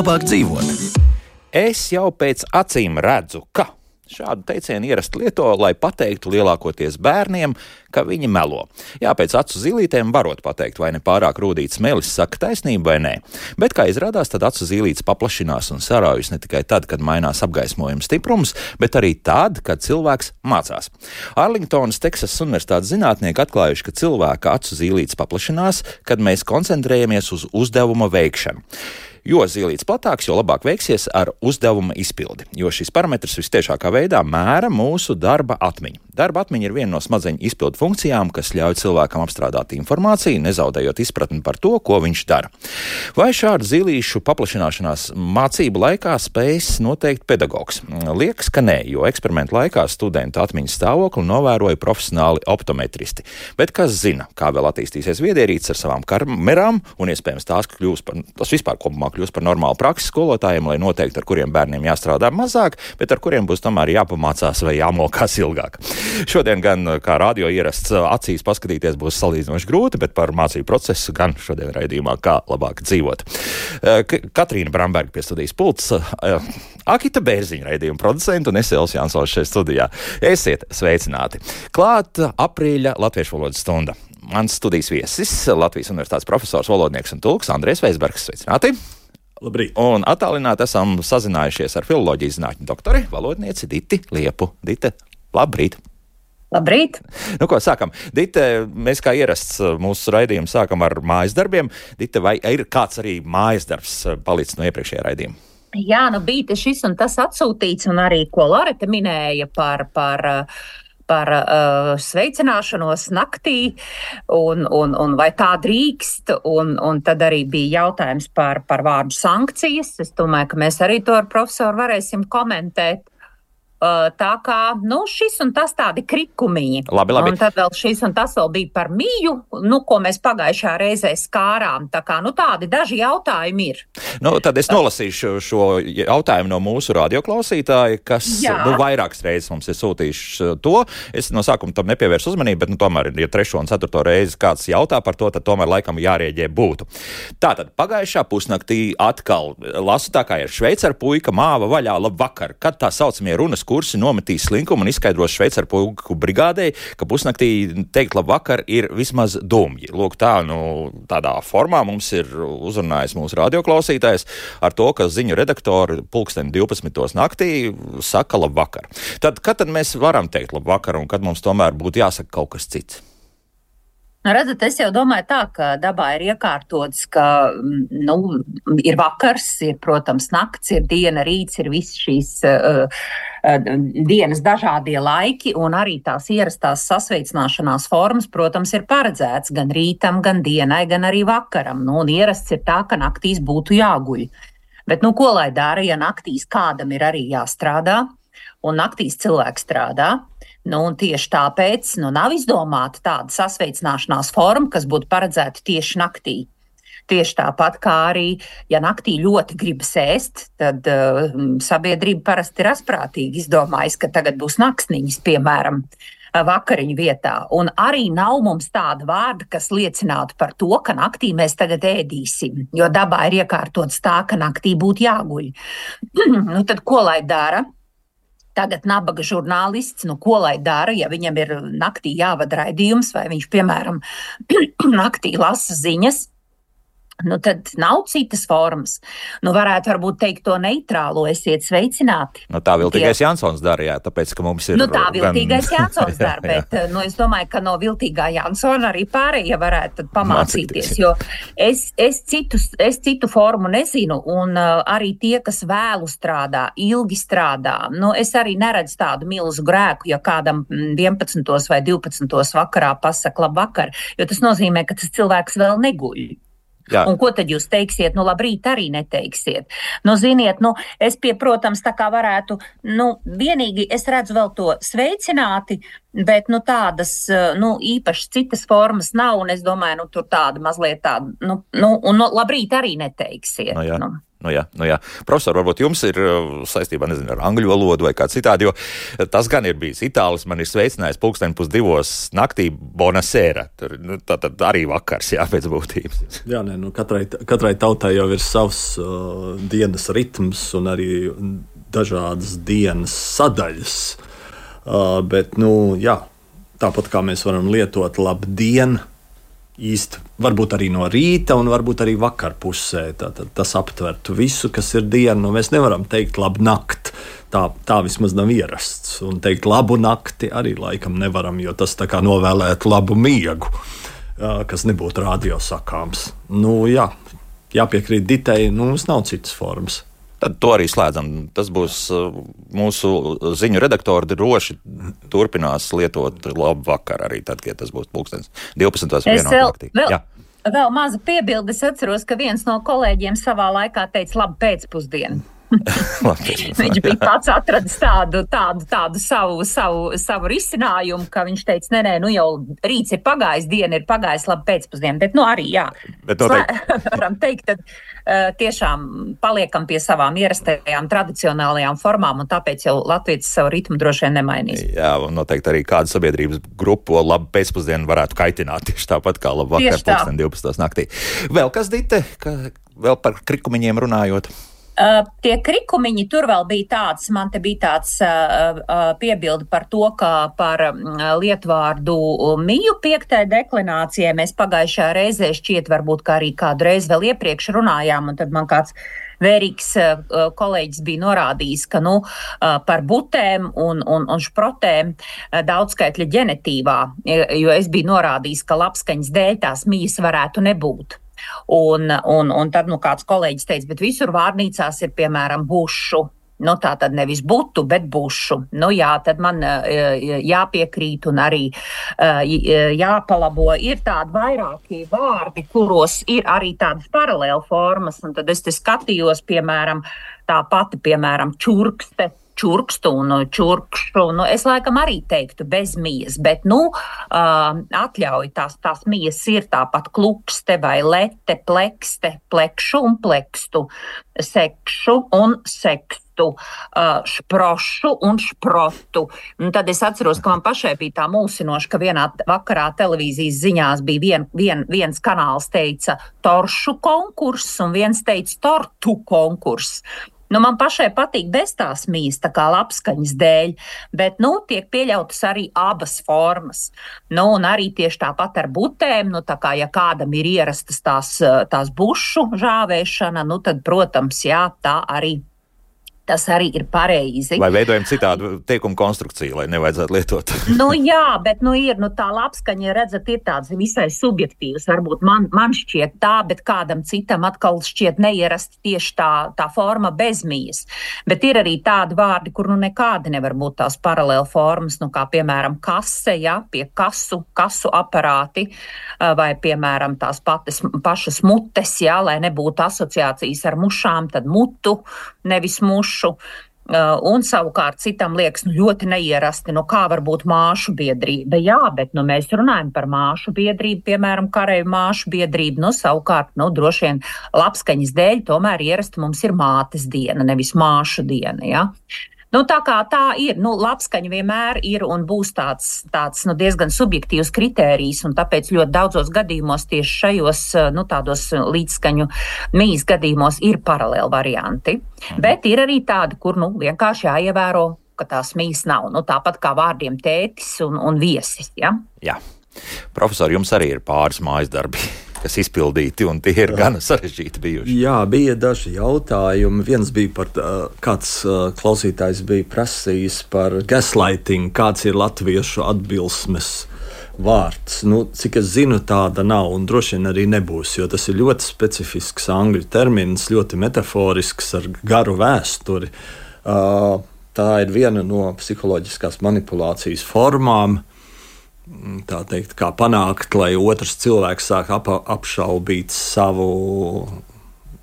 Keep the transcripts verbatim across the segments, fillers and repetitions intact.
labāk dzīvot. Es jau pēc acīm redzu, ka šādu teicienu ierasti lieto, lai pateiktu lielākoties bērniem, ka viņi melo. Jā, pēc acu zīlītēm varot pateikt, vai ne pārāk rūdīts melis saka taisnību vai nē. Bet, kā izrādās, tad acu zīlītes paplašinās un saraujas ne tikai tad, kad mainās apgaismojuma stiprums, bet arī tad, kad cilvēks mācās. Arlingtonas Teksasas Universitātes zinātnieki atklājuši, ka cilvēka acu zīlītes paplašinās, kad mēs koncentrējamies uz uzdevuma veikšanu. Jo zīlītes platāks, jo labāk veiksies ar uzdevuma izpildi, jo šis parametrs vistiešākā veidā mēra mūsu darba atmiņu. Darba atmiņa ir viena no smadzeņu izpildu funkcijām, kas ļauj cilvēkam apstrādāt informāciju, nezaudējot izpratni par to, ko viņš dara. Vai šādu zīlīšu paplašināšanās mācību laikā spējas noteikt pedagogs? Liekas, ka nē, jo eksperimentu laikā studentu atmiņas stāvokli novēroja profesionāli optometristi. Bet kas zina, kā vēl attīstīsies viedierīces ar savām kamerām un iespējams tās kļūs par, tas vispār kopumā kļūs par normālu praksi skolotājiem, lai noteikti ar kuriem bērniem jāstrādā mazāk, bet ar kuriem būs tomēr jāpamācās vai jāmokās ilgāk. Šodien gan, kā radio ierasts, acīs paskatīties būs salīdzinoši grūti, bet par mācību procesu gan šodien raidījumā kā labāk dzīvot. Katrīna Bramberga pie studijas pults, Akita Bērziņa raidījuma producenta un es Elvis Jansons šeit studijā. Esiet sveicināti. Klāt aprīļa latviešu valodas stunda. Mans studijas viesis, Latvijas Universitātes profesors, valodnieks un tulks Andrejs Veisbergs. Sveicināti! Labrīt. Un attālināti esam sazinājušies ar filoloģijas zinātņu doktori, valodnieci Diti Liepu. Dite, labrīt! Labrīt! Nu, ko sākam? Dite, mēs kā ierasts mūsu raidījumu sākam ar mājas darbiem. Dite, vai ir kāds arī mājas darbs palicis no iepriekšējā raidījuma? Jā, nu bija šis un tas atsūtīts, un arī, ko Loreta minēja par, par, par uh, sveicināšanos naktī, un, un, un vai tā drīkst, un, un tad arī bija jautājums par, par vārdu sankcijas. Es domāju, ka mēs arī to ar profesoru varēsim komentēt. Tā kā, nu, šis un tas tādi krikumiņi. Labi, labi. Un tad vēl šis un tas vēl bija par miju, nu, ko mēs pagājušā reizē skārām. Tā kā, nu, tādi daži jautājumi ir. Nu, tad es nolasīšu šo jautājumu no mūsu radioklausītāja, kas, Jā. nu, vairākas reizes mums ir sūtījuši to. Es no sākuma tam nepievēršu uzmanību, bet, nu, tomēr, ja trešo un ceturto reizi kāds jautā par to, tad tomēr laikam jārēģē būtu. Tātad, pagājušā pusnaktī atkal lasu tā kā ir šveicaru puika māva vaļā labvakar, kad tā saucamie runas kursi nometīs slinkumu un izskaidros šveicaru puiku brigādei, ka pusnaktī teikt labvakar ir vismaz dumji. Lūk, tā, nu, tādā formā mums ir uzrunājis mūsu radioklausītājs ar to, ka ziņu redaktori pulksteni divpadsmitos naktī saka labvakar. Tad, kad tad mēs varam teikt labvakar un kad mums tomēr būtu jāsaka kaut kas cits? Redzat, es jau domāju tā, ka dabā ir iekārtots, ka, nu, ir vakars, ir, protams, nakts, ir diena, rīts, ir viss šīs uh, uh, dienas dažādie laiki, un arī tās ierastās sasveicināšanās formas, protams, ir paredzēts gan rītam, gan dienai, gan arī vakaram. Nu, un ierasts ir tā, ka naktīs būtu jāguļ. Bet, nu, ko lai dara, ja naktīs kādam ir arī jāstrādā, un naktīs cilvēks strādā? Nu, un tieši tāpēc nu, nav izdomāta tāda sasveicināšanās forma, kas būtu paredzēta tieši naktī. Tieši tāpat kā arī, ja naktī ļoti gribas ēst, tad uh, sabiedrība parasti ir asprātīgi izdomājis, ka tagad būs naksniņas, piemēram, vakariņu vietā. Un arī nav mums tāda vārda, kas liecinātu par to, ka naktī mēs tagad ēdīsim, jo dabā ir iekārtots tā, ka naktī būtu jāguļ. Nu, tad ko lai dara? Tagad nabaga žurnālists, nu ko lai dara, ja viņam ir naktī jāvada raidījums, vai viņš, piemēram, naktī lasa ziņas, nu tad nav citas formas. Nu varētu varbūt teikt to neitrālo, esiet sveicināti. Nu tā viltīgais Tie... Jansons dara, jā, tāpēc, ka mums ir... Nu tā viltīgais gan... Jansons dara, bet nu, es domāju, ka no viltīgā Jansona arī pārējie varētu tad pamācīties, jo es, es, citu, es citu formu nezinu, un uh, arī tie, kas vēlu strādā, ilgi strādā, nu es arī neredzu tādu milzu grēku, ja kādam vienpadsmitos vai divpadsmitos vakarā pasaka labvakar, jo tas nozīmē, ka tas cilvēks vēl neguļ. Jā. Un ko tad jūs teiksiet? Nu, labrīt arī neteiksiet. Nu, ziniet, nu, es pie, protams, tā kā varētu, nu, vienīgi es redzu vēl to sveicināti, bet, nu, tādas, nu, īpaši citas formas nav, un es domāju, nu, tur tāda mazliet tāda, nu, nu un nu, labrīt arī neteiksiet. No, jā. Nu. Nu jā, nu jā. Profesor, varbūt jums ir saistībā, nezinu, ar angļu valodu vai kā citādi, jo tas gan ir bijis itālis, man ir sveicinājis pulksteni pus divos naktī bonasera. Tur, nu, tā tad arī vakars, jā, pēc būtības. Jā, nē, nu katrai, katrai tautai jau ir savs uh, dienas ritms un arī dažādas dienas sadaļas. Uh, bet, nu, jā, tāpat kā mēs varam lietot labdien, īsti varbūt arī no rīta un varbūt arī vakar pusē. Tātad tas aptvertu visu, kas ir diena. Nu, mēs nevaram teikt labu nakti. Tā, tā vismaz nav ierasts. Un teikt labu nakti arī laikam nevaram, jo tas tā kā novēlētu labu miegu, kas nebūtu radio sakāms. Nu, jā, jāpiekrīt Ditei, nu, mums nav citas formas. Tad to arī slēdzam. Tas būs mūsu ziņu redaktori droši turpinās lietot labu vakaru arī tad, kad tas būs pulkstens divpadsmitos vienā naktī. Vēl, vēl maza piebilde. Es atceros, ka viens no kolēģiem savā laikā teica labu pēcpusdienu. Viņš bija pats atradis tādu, tādu, tādu savu, savu, savu risinājumu, ka viņš teica, nē, nē, nu jau rīts ir pagājis, diena ir pagājis, labi pēcpusdiena, bet nu arī, jā, varam teikt, tad uh, tiešām paliekam pie savām ierastajām tradicionālajām formām, un tāpēc jau latvietis savu ritmu droši vien nemainīs. Jā, un noteikti arī kādu sabiedrības grupu labu pēcpusdienu varētu kaitināt, tieši tāpat kā labu vakar, pulksten divpadsmitos naktī. Vēl kas, Dite, ka, vēl par krikumiņiem runājot? Uh, tie krikumiņi tur vēl bija tāds, man te bija tāds uh, uh, piebildi par to, ka par uh, lietvārdu miju piektajai deklinācijai mēs pagājušajā reizē šķiet varbūt kā arī kādu reizi vēl iepriekš runājām, un tad man kāds vērīgs uh, kolēģis bija norādījis, ka nu, uh, par butēm un, un, un šprotēm uh, daudzskaitļa ģenetīvā, jo es biju norādījis, ka labskaņas dēļ tās mijas varētu nebūt. Un, un, un tad nu, kāds kolēģis teica, bet visur vārnīcās ir, piemēram, bušu. Nu, tā tad nevis butu, bet bušu. Nu, jā, tad man jāpiekrīt un arī jāpalabo. Ir tādi vairāki vārdi, kuros ir arī tādas paralēla formas. Un tad es te skatījos, piemēram, tā pati, piemēram, čurkste. Čurkstu un čurkšu, nu, es laikam arī teiktu bez mijas, bet, nu, uh, atļauj tās, tās mijas ir tāpat klukste vai lete, plekste, plekšu un plekstu, sekšu un sekstu, uh, šprošu un šprotu. Un tad es atceros, ka man pašai bija tā mulsinoši, ka vienā vakarā televīzijas ziņās bija vien, vien, viens kanāls teica toršu konkurss un viens teica tortu konkurss. Nu, man pašai patīk bez tās mijas, tā kā labskaņas dēļ, bet, nu, tiek pieļautas arī abas formas. Nu, un arī tieši tāpat ar butēm, nu, tā kā, ja kādam ir ierastas tās, tās bušu žāvēšana, nu, tad, protams, jā, tā arī. Tas arī ir pareizi. Vai veidojam citādu teikumu konstrukciju, lai nevajadzētu lietot? Nu jā, bet nu ir, nu tā labskaņa, redzat, ir tāds visai subjektīvs. Varbūt man, man šķiet tā, bet kādam citam atkal šķiet neierasti tieši tā, tā forma bez mijas. Bet ir arī tādi vārdi, kur nu nekādi nevar būt tās paralēla formas, nu kā piemēram kase, ja, pie kasu, kasu aparāti, vai piemēram tās patas, pašas mutes, ja, lai nebūtu asociācijas ar mušām, tad mutu, nevis mušu. Uh, un savukārt citam liekas, nu ļoti neierasti, nu kā var būt māšu biedrība. Jā, bet nu mēs runājam par māšu biedrību, piemēram, kareju māšu biedrību, nu savukārt, nu droši vien labskaņas dēļ tomēr ierasti mums ir mātes diena, nevis māšu diena, jā. Nu, tā kā tā ir, nu, labskaņa vienmēr ir un būs tāds, tāds nu, diezgan subjektīvs kritērijs, un tāpēc ļoti daudzos gadījumos tieši šajos, nu, tādos līdzskaņu mijas gadījumos ir paralēli varianti. Mhm. Bet ir arī tādi, kur, nu, vienkārši jāievēro, ka tās mijas nav. Nu, tāpat kā vārdiem tētis un, un viesis, ja? Jā. Profesor, jums arī ir pāris mājas darbi, kas izpildīti, un tie ir gana sarežģīti bijuši. Jā, bija daži jautājumi. Viens bija par, kāds klausītājs bija prasījis par gaslighting, kāds ir latviešu atbilsmes vārds. Nu, cik es zinu, tāda nav, un droši vien arī nebūs, jo tas ir ļoti specifisks angļu termins, ļoti metaforisks ar garu vēsturi. Tā ir viena no psiholoģiskās manipulācijas formām. Tā teikt, kā panākt, lai otrs cilvēks sāk ap, apšaubīt savu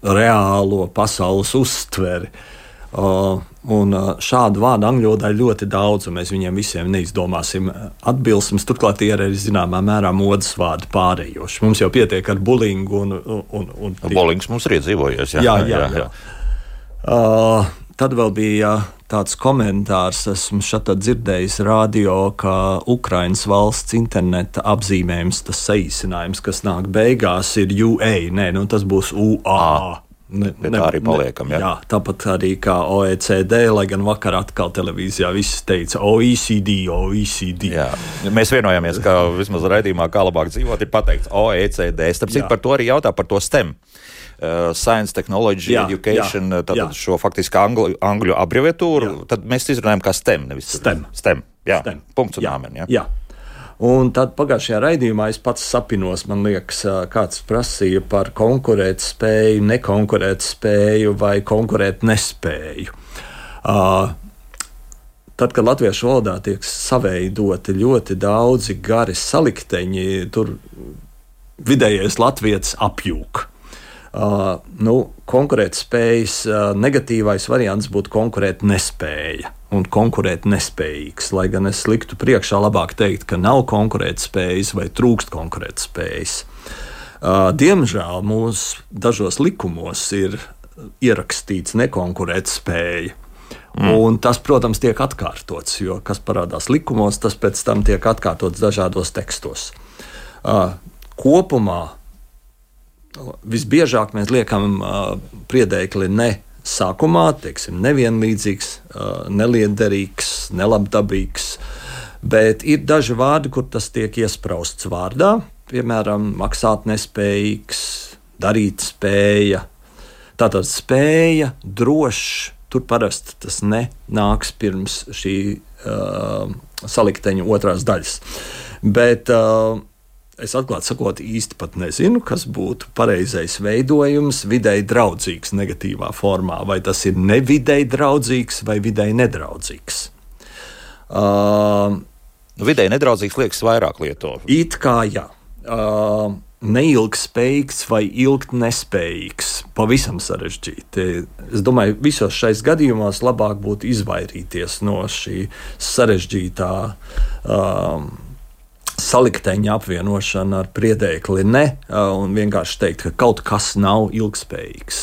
reālo pasaules uztveri. Uh, un uh, šādu vārdu angļu valodā ir ļoti daudz, un mēs viņiem visiem neizdomāsim atbilsmes. Turklāt tie ir arī zināmā mērā modes vārdi pārējoši. Mums jau pietiek ar bulingu un... un, un Bulings mums ir iedzīvojies, jā. Jā, jā, jā. jā. Uh, tad vēl bija tāds komentārs, esmu šatā dzirdējis radio, ka Ukrainas valsts interneta apzīmējums, tas saīsinājums, kas nāk beigās, ir U A, nē, nu tas būs U A. Ne, ne, tā arī paliekam, ne, jā. jā. Tāpat arī kā O E C D, lai gan vakar atkal televīzijā viss teica O E C D, O E C D. Jā. Mēs vienojāmies, ka vismaz raidījumā kā labāk dzīvot ir pateikts O E C D. Starp citu par to arī jautā par to STEM. Uh, Science, Technology, jā, Education, jā, tātad jā. Šo faktiski angļu, angļu abreviatūru, jā. Tad mēs izrunājam kā STEM, nevis STEM. STEM, jā, STEM. Punkts un āmen, jā. jā. Un tad pagājušajā raidījumā es pats sapinos, man liekas, kāds prasīja par konkurēt spēju, nekonkurēt spēju vai konkurēt nespēju. Uh, tad, kad latviešu valodā tiek saveidoti ļoti daudzi gari salikteņi, tur vidējais latvietis apjūk. Uh, nu, konkurēt spējas uh, negatīvais variants būtu konkurēt nespēja un konkurēt nespējīgs, lai gan es liktu priekšā labāk teikt, ka nav konkurēt spējas vai trūkst konkurēt spējas. Uh, diemžēl mūsu dažos likumos ir ierakstīts nekonkurēt spēja. Mm. Un tas, protams, tiek atkārtots, jo kas parādās likumos, tas pēc tam tiek atkārtots dažādos tekstos. Uh, kopumā visbiežāk mēs liekam uh, priedēkli ne sākumā, teiksim, nevienlīdzīgs, uh, neliederīgs, nelabdabīgs, bet ir daži vārdi, kur tas tiek iesprausts vārdā, piemēram, maksāt nespējīgs, darīt spēja. Tātad spēja, drošs, tur parasti tas ne nāks pirms šī uh, salikteņa otrās daļas. Bet uh, es atklāti sakot, īsti pat nezinu, kas būtu pareizais veidojums vidēji draudzīgs negatīvā formā. Vai tas ir nevidēji draudzīgs vai vidēji nedraudzīgs? Uh, vidēji nedraudzīgs liekas vairāk lieto. It kā jā. Uh, neilgtspējīgs vai ilgt nespējīgs. Pavisam sarežģīti. Es domāju, visos šais gadījumos labāk būtu izvairīties no šī sarežģītā uh, salikteņa apvienošana ar priedēkli ne, un vienkārši teikt, ka kaut kas nav ilgspējīgs.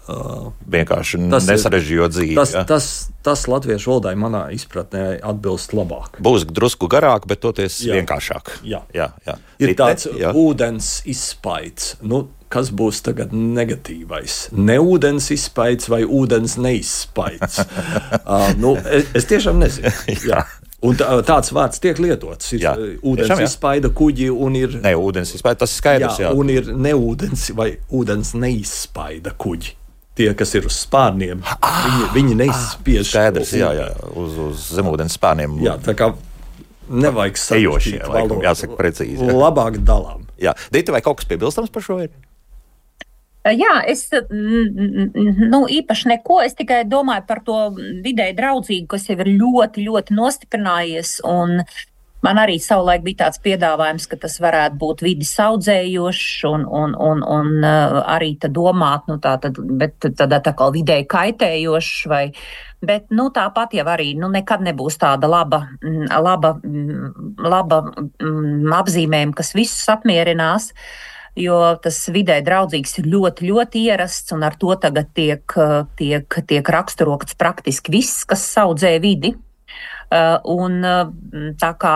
Vienkārši nesarežģījot dzīvi. Tas, ja? tas, tas latviešu valodai manā izpratnē atbilst labāk. Būs drusku garāk, bet toties jā. Vienkāršāk. Jā. Jā, jā. Ir Rite, tāds jā. Ūdens izspaids. Nu, kas būs tagad negatīvais? Ne ūdens izspaids vai ūdens neizspaids? uh, nu, es, es tiešām nezinu. Jā. Un tā, tāds vārds tiek lietots. Ir jā, ūdens tiešām, izspaida kuģi un ir... Ne, ūdens izspaida, tas ir skaidrs, jā. jā. Un ir neūdens vai ūdens neizspaida kuģi. Tie, kas ir uz spārniem, ah, viņi, viņi neizspiež. Skaidrs, jā, jā, uz, uz zemūdens spārniem. Jā, tā kā nevajag sarežģīt valodu. Jāsaka precīzi. Jā. Labāk dalām. Jā. Dita, vai kaut kas piebilstams par šo ir? Jā, es nu, īpaši neko, es tikai domāju par to vidēji draudzīgu, kas jau ir ļoti, ļoti nostiprinājies, un man arī savulaik bija tāds piedāvājums, ka tas varētu būt vidi saudzējošs un, un, un, un arī tad domāt, nu tā tad, bet tādā tā kā vidēji kaitējošs vai, bet nu tāpat jau arī, nu nekad nebūs tāda laba, laba, laba apzīmējuma, kas visus apmierinās. Jo tas vidē draudzīgs ir ļoti, ļoti ierasts, un ar to tagad tiek, tiek, tiek raksturots praktiski viss, kas saudzē vidi. Un tā kā,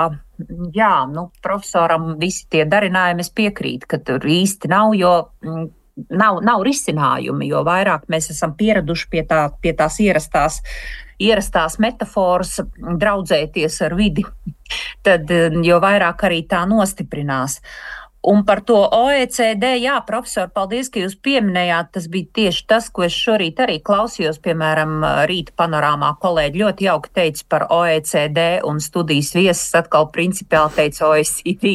jā, nu, profesoram visi tie darinājumi es piekrītu, ka tur īsti nav, jo nav, nav risinājumi, jo vairāk mēs esam pieraduši pie, tā, pie tās ierastās, ierastās metaforas draudzēties ar vidi, tad jo vairāk arī tā nostiprinās. Un par to O E C D, jā, profesor, paldies, ka jūs pieminējāt, tas bija tieši tas, ko es šorīt arī klausījos, piemēram, rīta panorāmā kolēģi ļoti jauki teica par O E C D un studijas viesis atkal principiāli teica O E C D.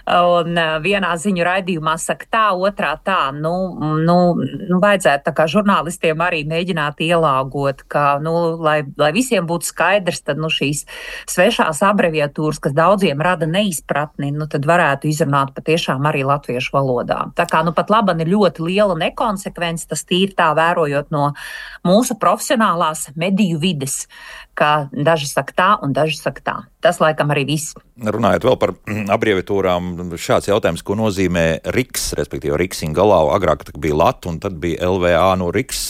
Un vienā ziņu raidījumā saka tā, otrā tā, nu, nu, nu vajadzētu tā kā žurnālistiem arī mēģināt ielāgot, ka, nu, lai, lai visiem būtu skaidrs, tad, nu, šīs svešās abreviatūras, kas daudziem rada neizpratni, nu, tad varētu izrunāt pat tiešām arī latviešu valodā. Tā kā nu pat laban ir ļoti liela nekonsekvence, tas tīri tā vērojot no mūsu profesionālās mediju vides, ka daži saka tā un daži saka tā. Tas laikam arī viss. Runājot vēl par abreviatūrām, šāds jautājums, ko nozīmē RIKS, respektīvi Riksinga galā, agrāk bija Lat un tad bija L V A, no RIKS,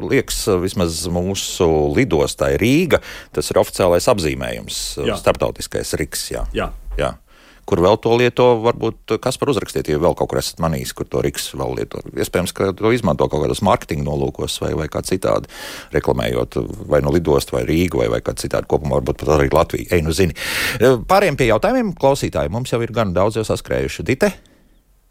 liekas, vismaz mūsu lidostai Rīga, tas ir oficiālais apzīmējums, jā. Starptautiskais RIKS, jā. Jā. jā. Kur vēl to lieto, varbūt Kaspar uzrakstiet, ja vēl kaut kur esat manījis, kur to RIKS vēl lieto. Iespējams, ka to izmanto kaut kādos marketinga nolūkos vai, vai kā citādi, reklamējot vai no lidostu vai Rīgu vai, vai kā citādi kopumā, varbūt pat arī Latviju. Ei, nu zini. Pāriem pie jautājumiem, klausītāji, mums jau ir gan daudz jau saskrējuši. Dite?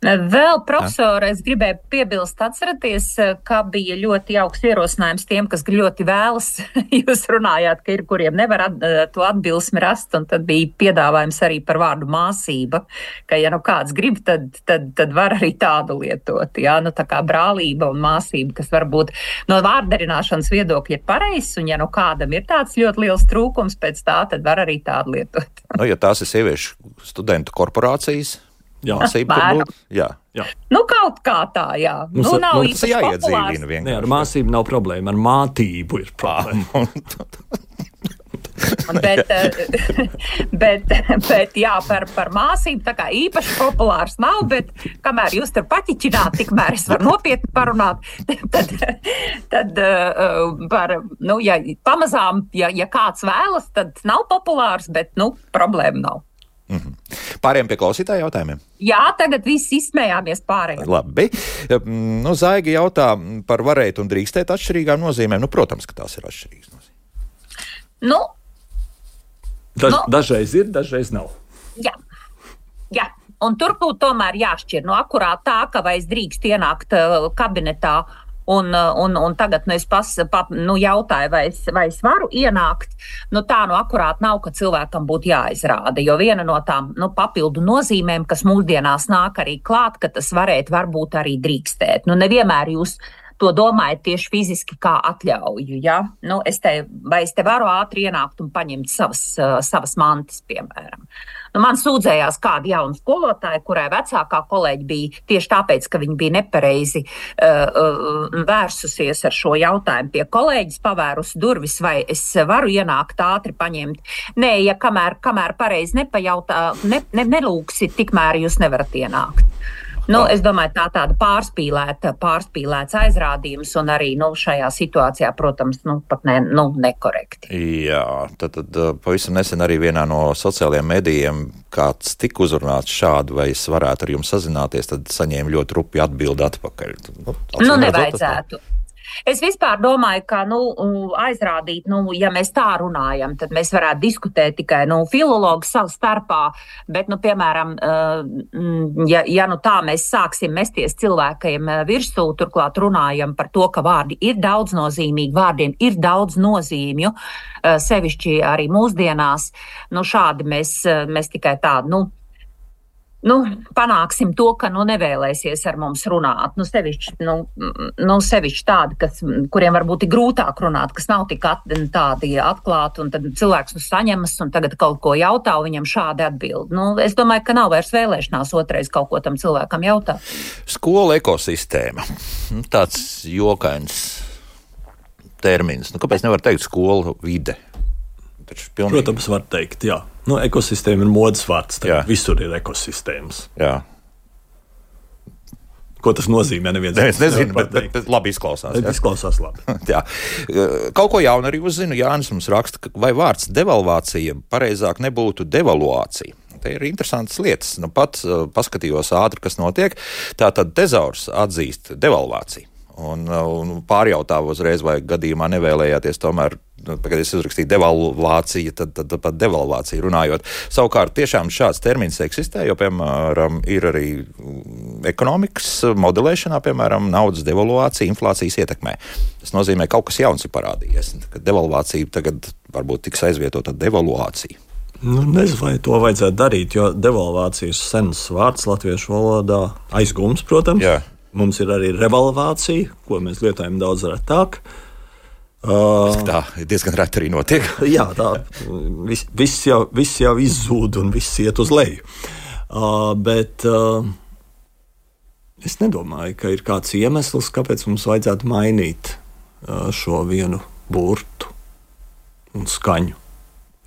Vēl, profesori, es gribēju piebilst, atceraties, ka bija ļoti jauks ierosinājums tiem, kas ļoti vēlas. Jūs runājāt, ka ir, kuriem nevar at, to atbilsmi rast, un tad bija piedāvājums arī par vārdu māsība, ka, ja nu kāds grib, tad, tad, tad var arī tādu lietot. Jā, nu tā kā brālība un māsība, kas varbūt no vārdarināšanas viedokļa ir pareizs, un ja nu kādam ir tāds ļoti liels trūkums pēc tā, tad var arī tādu lietot. Nu, ja tās ir sieviešu studentu korporācijas, jā, māsība tur būtu. Jā. Jā. Nu, kaut kā tā, jā. Mums, nu, nav mums tas jāiedzīvina vienkārši. Ne, ar māsību nav problēma, ar mātību ir problēma. bet, bet, bet, jā, par, par māsību tā kā īpaši populārs nav, bet kamēr jūs tur paķiķināt, tikmēr es varu nopietni parunāt, tad, tad par, nu, ja pamazām, ja, ja kāds vēlas, tad nav populārs, bet, nu, problēma nav. Mm-hmm. Pārējiem pie klausītāju jautājumiem. Jā, tagad viss izsmējāmies pārējiem. Labi. Nu, Zaiga jautā par varēt un drīkstēt atšķirīgām nozīmēm. Nu, protams, ka tās ir atšķirīgas nozīmes. Nu, Daž, nu, dažreiz ir, dažreiz nav. Jā, jā. Un tur būtu tomēr jāšķir. Nu, akurāt tā, ka vai es drīkst ienākt uh, kabinetā Un, un, un tagad nu, es pas, pa, nu, jautāju, vai es, vai es varu ienākt. Nu, tā nu akurāt nav, ka cilvēkam būtu jāizrāda. Jo viena no tām nu, papildu nozīmēm, kas mūsdienās nāk arī klāt, ka tas varētu varbūt arī drīkstēt. Nu, nevienmēr jūs to domājat tieši fiziski kā atļauju. Ja? Nu, es te, vai es te varu ātri ienākt un paņemt savas, uh, savas mantas, piemēram. Nu, man sūdzējās kāda jauna skolotāja, kurai vecākā kolēģi bija tieši tāpēc, ka viņa bija nepareizi uh, uh, vērsusies ar šo jautājumu pie kolēģis, pavērusi durvis, vai es varu ienākt ātri paņemt. Nē, ja kamēr, kamēr pareizi nepajautā, ne, ne, nelūksi, tikmēr jūs nevarat ienākt. Nu, es domāju, tā tāda pārspīlēta, pārspīlēts aizrādījums un arī nu, šajā situācijā, protams, nu, pat ne, nu, nekorekti. Jā, tad, tad pavisam nesen arī vienā no sociālajiem medijiem kāds tika uzrunāts šādu, vai es varētu ar jums sazināties, tad saņēma ļoti rupi atbildi atpakaļ. Nu, nu nevajadzētu. Es vispār domāju, ka nu, aizrādīt, nu, ja mēs tā runājam, tad mēs varētu diskutēt tikai nu, filologu savu starpā, bet, nu, piemēram, ja, ja nu, tā mēs sāksim mesties cilvēkiem virsū, turklāt runājam par to, ka vārdi ir daudznozīmīgi, vārdiem ir daudz nozīmju, sevišķi arī mūsdienās, nu, šādi mēs, mēs tikai tādu, nu, Nu, panāksim to, ka nu, nevēlēsies ar mums runāt. Nu, sevišķi, nu, nu, sevišķi tādi, kas, kuriem varbūt ir grūtāk runāt, kas nav tik at, tādi atklāti, un tad cilvēks nu saņemas un tagad kaut ko jautā, un viņam šādi atbild. Nu, es domāju, ka nav vairs vēlēšanās otrais kaut ko tam cilvēkam jautāt. Skola ekosistēma. Tāds jokains termins. Nu, kāpēc nevar teikt skola vide? Pilnīgi... Protams, var teikt, jā. Nu, ekosistēma ir modes vārds, visur ir ekosistēmas. Jā. Ko tas nozīmē? Neviens es nezinu, bet, bet, bet labi izklausās. Bet izklausās labi. Jā. Kaut ko jaunu arī uzzinu. Jānis mums raksta, vai vārds devalvācija pareizāk nebūtu devaluācija. Te ir interesantas lietas. Nu, pat paskatījos ātri, kas notiek. Tātad tezaurs atzīst devalvāciju. Un, un pārjautāvu uzreiz, vai gadījumā nevēlējāties tomēr, kad es uzrakstīju devalvācija, tad, tad, tad pat devalvācija runājot. Savukārt tiešām šāds termins eksistē, jo, piemēram, ir arī ekonomikas modelēšanā, piemēram, naudas devalvācija inflācijas ietekmē. Tas nozīmē, kaut kas jauns ir parādījies, ka devalvācija tagad varbūt tiks aizvietota devaluācija. Nu, nezinu, vai to vajadzētu darīt, jo devalvācija ir sens vārds latviešu valodā, aizgums, protams. Jā. Mums ir arī revalvācija, ko mēs lietojam daudz retāk. Uh, tā diezgan reti arī notiek. Jā, tā viss vis jau, vis jau izzūd un viss iet uz leju. Uh, bet uh, Es nedomāju, ka ir kāds iemesls, kāpēc mums vajadzētu mainīt šo vienu burtu un skaņu.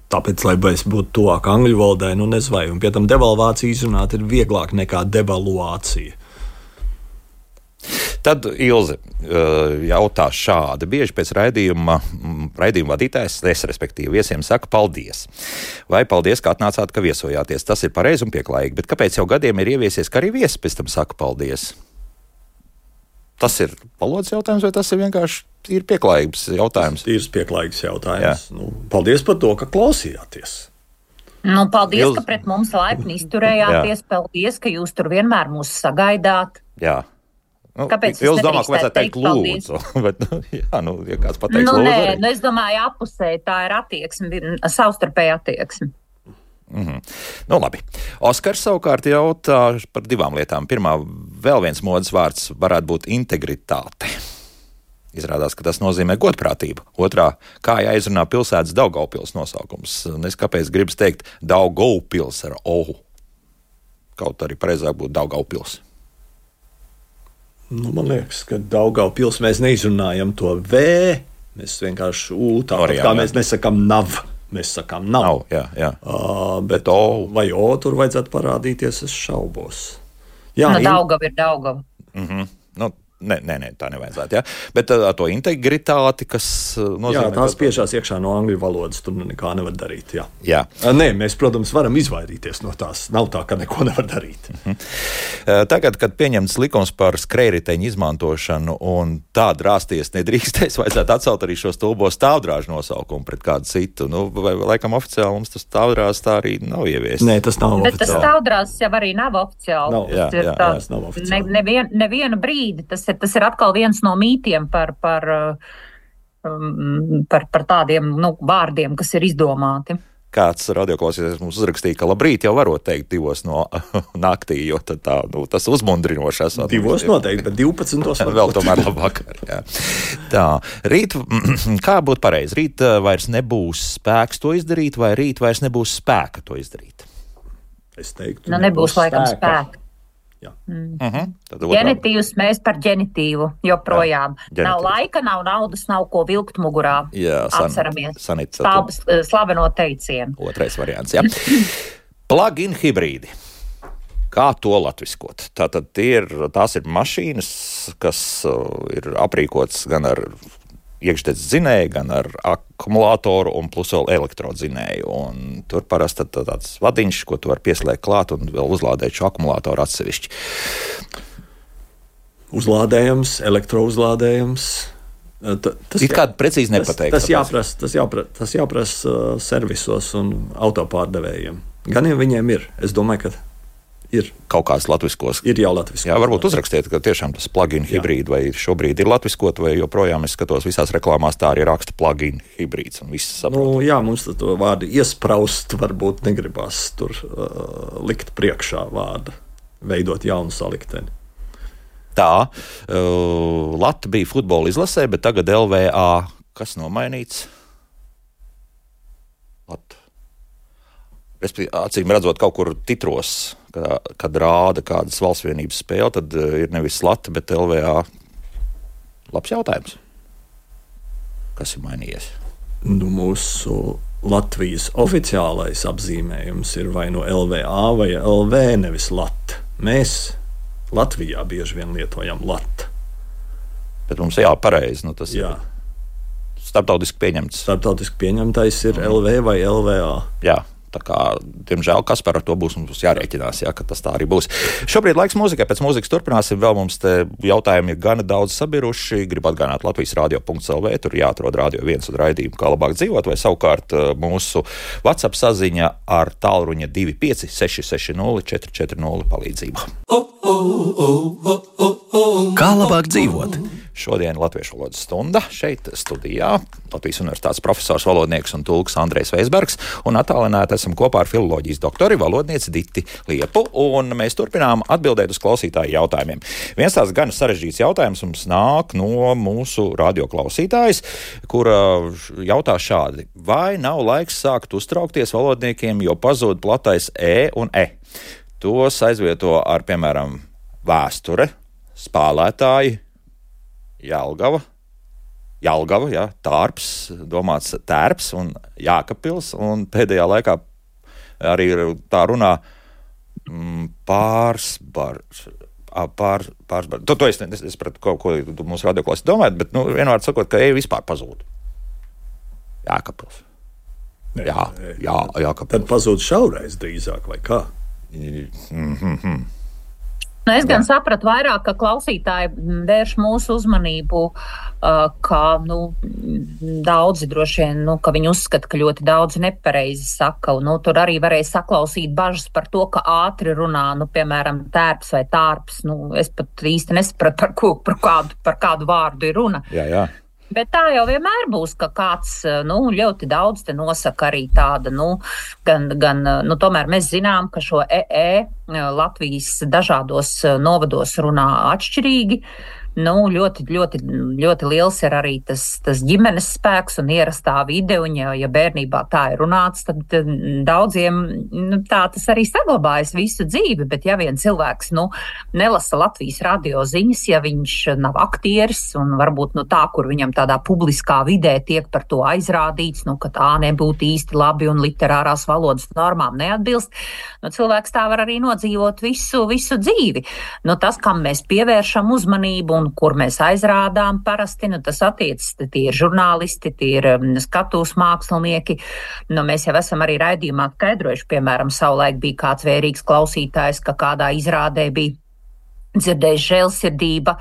Tāpēc, lai es būtu tuvāk angļu valodai, nu nezinu, vai, un pie tam devalvācija izrunāt ir vieglāk nekā devaluācija. Tad Ilze jautā šādi. Bieži pēc raidījuma, raidījuma vadītājs, es respektīvi viesiem saka paldies. Vai paldies, ka atnācāt, ka viesojāties. Tas ir pareizi un pieklājīgi, bet kāpēc jau gadiem ir ieviesies, ka arī viesi pēc tam saka paldies? Tas ir valodas jautājums, vai tas ir vienkārši ir pieklājības jautājums? Tas ir pieklājības jautājums. Nu, paldies par to, ka klausījāties. Nu, paldies, Ilz... ka pret mums laipni izturējāties. Paldies, ka jūs tur vienmēr mūs sagaidāt. Jā. Nu, Kāpēc jūs domājat, ka vajadzētu teikt lūdzu? Bet, nu, jā, nu, ja kāds pateiks nu, lūdzu nē, arī. Nu, es domāju, apusē tā ir attieksme, savstarpēja attieksme. Mm-hmm. Nu, labi. Oskars savukārt jautā par divām lietām. Pirmā, vēl viens modes vārds varētu būt integritāte. Izrādās, ka tas nozīmē godprātību. Otrā, kā jāizrunā pilsētas Daugavpils nosaukums. Es kāpēc gribas teikt Daugavpils ar ohu. Kaut arī pareizāk būtu Daugavpils. Nu, man liekas, ka Daugavpils mēs neizrunājam to V, mēs vienkārši U, tāpat kā mēs nesakām nav, mēs sakām nav. nav jā, jā. Uh, bet, bet O vai O tur vajadzētu parādīties, es šaubos. Jā, no, in... Daugava ir Daugava. Mhm. Nu, Nē, nē, nē, tā nevajadzētu. Ja? Bet ar to integritāti, kas nozīmē... Jā, tās piešās iekšā no angļu valodas, tur nekā nevar darīt. Jā. Jā. Nē, mēs, protams, varam izvairīties no tās. Nav tā, ka neko nevar darīt. Mhm. Tagad, kad pieņemts likums par skrējriteņu izmantošanu un tādu rāsties nedrīkstēs, vajadzētu atcelt arī šo stulbo stāvdrāžu nosaukumu pret kādu citu. Nu, vai, laikam oficiāli mums tas stāvdrāzs tā arī nav ieviests. Nē, tas nav Bet oficiāli. Tas stāvdrāzs jau arī nav oficiāli. Nav, jā, jā, jā, tas nav oficiāli. Ne, nevien, nevienu brīdi tas Tas ir atkal viens no mītiem par, par, um, par, par tādiem nu, vārdiem, kas ir izdomāti. Kāds radioklausītājs mums uzrakstīja, ka labrīt jau varot teikt divos no naktī, jo tad tā, nu, tas uzmundrinoši esot. Divos noteikti, bet divpadsmitos varbūt. Vēl tomēr labvakar. Jā. Tā, rīt, kā būtu pareizi? Rīt vairs nebūs spēks to izdarīt, vai rīt vairs nebūs spēka to izdarīt? Es teiktu, nu, nebūs, nebūs laikam spēka. spēka. Mm. Uh-huh. Ģenitīvs mēs par ģenitīvu joprojām. Jā, nav laika, nav naudas, nav ko vilkt mugurā. Jā, san, Atceramies. Sanita, Stāvs, slaveno teicienu. Otrais variants, jā. Plug-in hibrīdi. Kā to latviskot? Tātad ir, tās ir mašīnas, kas ir aprīkotas gan ar iekšdedz dzinēju, gan ar akumulātoru un plus vēl elektrodzinēju. Un tur parasti tāds vadiņš, ko tu vari pieslēgt klāt un vēl uzlādēt šo akumulātoru atsevišķi. Uzlādējums, elektrouzlādējums. Ta, tas ir kāda precīzi nepateikt. Tas, tas jāprasa, tas jāprasa, tas jāprasa uh, servisos un autopārdevējiem. Gan jau viņiem ir. Es domāju, ka ir kaut kāds latviskos. Ir jau latviskos. Jā, varbūt uzrakstiet, ka tiešām tas plug-in hibrīd vai šobrīd ir latviskot, vai joprojām es skatos visās reklāmās tā arī raksta plug-in hibrīds un viss saprot. Nu, jā, mums to vārdu iespraust varbūt negribās tur uh, likt priekšā vārdu, veidot jaunu salikteni. Tā, uh, Lata bija futbola izlasē, bet tagad L V A kas nomainīts? Lata. Acīm redzot, kaut kur titros, kad, kad rāda kādas valsts vienības spēle, tad ir nevis Lata, bet L V A. Labs jautājums. Kas ir mainījies? Nu, mūsu Latvijas oficiālais apzīmējums ir vai no L V A vai L V, nevis Lata. Mēs Latvijā bieži vien lietojam Lata. Bet mums jā, pareizi. Nu, tas jā. Ir starptautiski pieņemts. Starptautiski pieņemtais ir mm. L V vai L V A. Jā. Tā kā, diemžēl, kas par to būs, mums būs jārēķinās, jā, ka tas tā arī būs. Šobrīd laiks mūzikai, pēc mūzikas turpināsim. Vēl mums te jautājumi ir gana daudz sabiruši. Gribu atgādināt Latvijas radio punkts L V, tur jāatrod radio viens un raidījumu, kā labāk dzīvot, vai savukārt mūsu WhatsApp saziņa ar tālruņa divi pieci seši seši nulle četri četri nulle palīdzību. Kā labāk dzīvot? Šodien Latviešu valodas stunda šeit studijā. Latvijas universitātes profesors, valodnieks un tulks Andrejs Veisbergs, un attālināti esam kopā ar filoloģijas doktori, valodnieci Diti Liepu, un mēs turpinām atbildēt uz klausītāju jautājumiem. Viens tās gan sarežģīts jautājums mums nāk no mūsu radioklausītājas, kura jautā šādi: vai nav laiks sākt uztraukties valodniekiem, jo pazūd platais E un E? Tos aizvieto ar, piemēram, vēsture, spēlētāji, Jelgava, Jelgava, jā, Tārps, domāts Tērps un Jākapils, un pēdējā laikā arī tā runā mm, pārsbar, pār, pārsbar. To, to es nesapratu, ko, ko mūsu radioklāsi domājat, bet, nu, vienvārds sakot, ka eja vispār pazūd. Jākapils. Nē, jā, nē, jā, Jākapils. Tad pazūd šaurais drīzāk, vai kā? Mm-hmm. Nu, es gan Jā. sapratu vairāk, ka klausītāji vērš mūsu uzmanību, uh, ka nu, daudzi droši vien, nu, ka viņi uzskata, ka ļoti daudzi nepareizi saka. Un, nu, tur arī varēja saklausīt bažas par to, ka ātri runā, nu, piemēram, tērps vai tārps. Nu, es pat īsti nesapratu, par, ko, par, kādu, par kādu vārdu ir runa. Jā, jā. Bet tā jau vienmēr būs, ka kāds, nu, ļoti daudz te nosaka arī tāda, nu, gan, gan, nu, tomēr mēs zinām, ka šo E E Latvijas dažādos novados runā atšķirīgi. Nu, ļoti, ļoti, ļoti liels ir arī tas, tas ģimenes spēks un ierastā vide, un ja, ja bērnībā tā ir runāts, tad daudziem nu, tā tas arī saglabājas visu dzīvi, bet ja vien cilvēks, nu, nelasa Latvijas radio ziņas, ja viņš nav aktieris un varbūt, nu, tā, kur viņam tādā publiskā vidē tiek par to aizrādīts, nu, ka tā nebūtu īsti labi un literārās valodas normām neatbilst, nu, cilvēks tā var arī nodzīvot visu, visu dzīvi. Nu, tas, kam mēs pievēršam uzmanību un kur mēs aizrādām parasti, nu tas attiecas, tie ir žurnālisti, tie ir skatuves mākslinieki. Nu, mēs jau esam arī raidījumā skaidrojuši, piemēram, savulaik bija kāds vērīgs klausītājs, ka kādā izrādē bija dzirdējis žēlsirdība,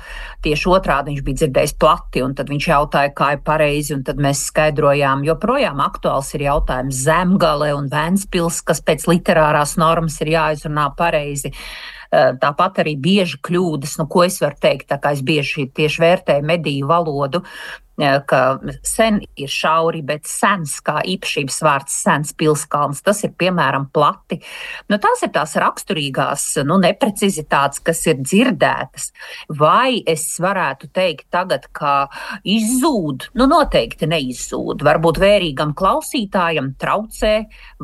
tieši otrādi viņš bija dzirdējis plati, un tad viņš jautāja, kā ir pareizi, un tad mēs skaidrojām, joprojām aktuāls ir jautājums Zemgale un Ventspils, kas pēc literārās normas ir jāizrunā pareizi. Tāpat arī bieži kļūdas, nu, ko es varu teikt, tā kā es bieži tieši vērtēju mediju valodu, ka sen ir šauri, bet sens, kā īpašības vārds sens pilskalns, tas ir, piemēram, plati. Nu, tās ir tās raksturīgās, nu, neprecizitātes, kas ir dzirdētas. Vai es varētu teikt tagad, ka izzūd? Nu, noteikti neizzūd. Varbūt vērīgam klausītājam traucē,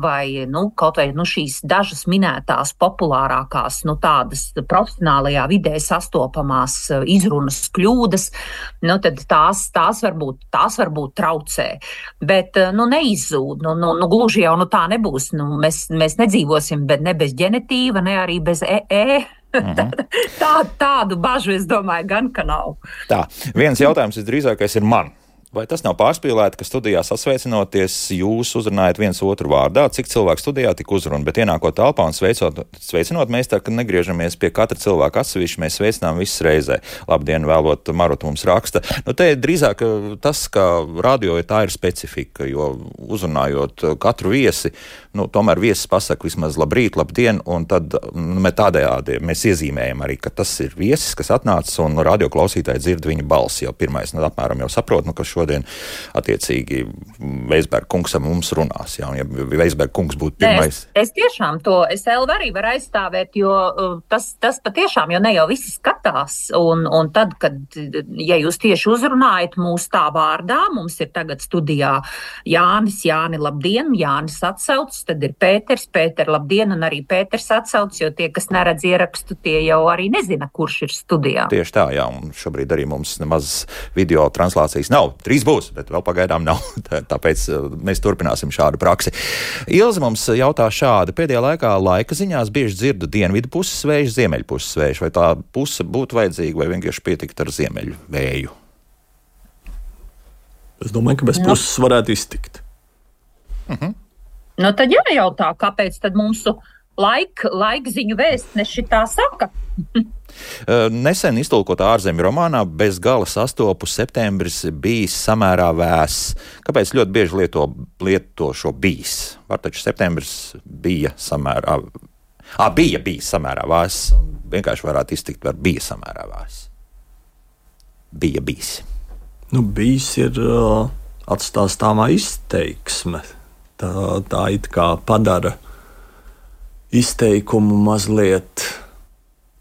vai, nu, kaut vai, nu, šīs dažas minētās populārākās, nu, tādas profesionālajā vidē sastopamās izrunas kļūdas, nu, tad tās, tās varbūt, tās varbūt traucē, bet, nu, neizzūd, nu, nu, nu gluži jau, nu, tā nebūs, nu, mēs, mēs nedzīvosim, bet ne bez ģenetīva, ne arī bez E E. Mhm. Tā, tādu bažu, es domāju, gan, ka nav. Tā, viens jautājums visdrīzākais ir man. Vai tas nav pārspīlēti, ka studijā sasveicinoties jūs uzrunājat viens otru vārdā, cik cilvēku studijā tik uzruna, bet ienākot telpā un sveicot, sveicinot, mēs tā, ka negriežamies pie katra cilvēka atsevišķi, mēs sveicinām visas reizē. Labdien, vēlot, Marot mums raksta. Nu, te drīzāk tas, ka radio tā ir specifika, jo uzrunājot katru viesi, nu, tomēr viesis pasaka vismaz labrīt, labdien, un tad nu, tādējādi mēs iezīmējam arī, ka tas ir viesis, kas atnācis, un radio klausītāji dzird viņa balsi jau pirmais, nu, apmēram jau saprot, nu, ka šodien attiecīgi Veisberga kungs ar mums runās, jā, un ja Veisberga kungs būtu pirmais. Es, es tiešām to, es vēl arī varu aizstāvēt, jo tas, tas patiešām, jo ne jau visi skatās, un, un tad, kad, ja jūs tieši uzrunājat mūs tā vārdā, mums ir tagad studijā Jānis, Jāni, labdien, Jānis atsauc, tad ir Pēters, Pēter, labdien, un arī Pēters atsauc, jo tie, kas neredz ierakstu, tie jau arī nezina, kurš ir studijā. Tieši tā, jā, un šobrīd arī mums nemaz video translācijas nav. Trīs būs, bet vēl pagaidām nav. Tāpēc mēs turpināsim šādu praksi. Ilze mums jautā šādi. Pēdējā laikā laika ziņās bieži dzirdu dienvidu puses vēju, ziemeļu puses vēju. Vai tā puse būtu vajadzīga vai vienkārši pietikt ar ziemeļu vēju? Es domāju, ka bez nu. puses varētu iztikt. Uh-huh. Nu tad jājautā, kāpēc tad mūsu laika, laikziņu vēstneši tā saka? Nesen iztulkotā ārzemju romānā bez gala sastopu septembris bijis samērā vēss. Kāpēc ļoti bieži lieto, lieto šo bijis? Var taču septembris bija samērā... Ā, bija bijis samērā vēss. Vienkārši varētu iztikt, var bija samērā vēss. Bija bijis. Nu, bijis ir uh, atstāstāmā izteiksme. Tā, tā it kā padara izteikumu mazliet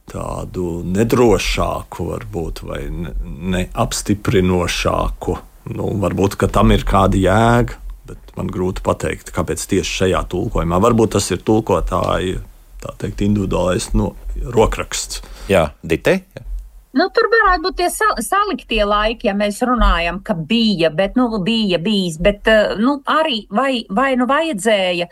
tādu nedrošāku, varbūt, vai neapstiprinošāku. Nu, varbūt, ka tam ir kāda jēga, bet man grūti pateikt, kāpēc tieši šajā tulkojumā. Varbūt tas ir tulkotāja, tā teikt, individuālais no, rokraksts. Jā, Dite? Nu, tur varētu būt tie sal- saliktie laiki, ja mēs runājam, ka bija, bet, nu, bija bijis, bet, nu, arī vai, vai nu vajadzēja,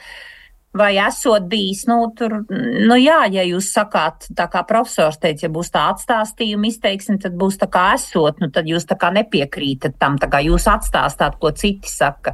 vai esot bijis, nu, tur, nu, jā, ja jūs sakāt, tā kā profesors teica, ja būs tā atstāstījuma izteiksim, tad būs tā kā esot, nu, tad jūs tā kā nepiekrītat tam, tā kā jūs atstāstāt, ko citi saka.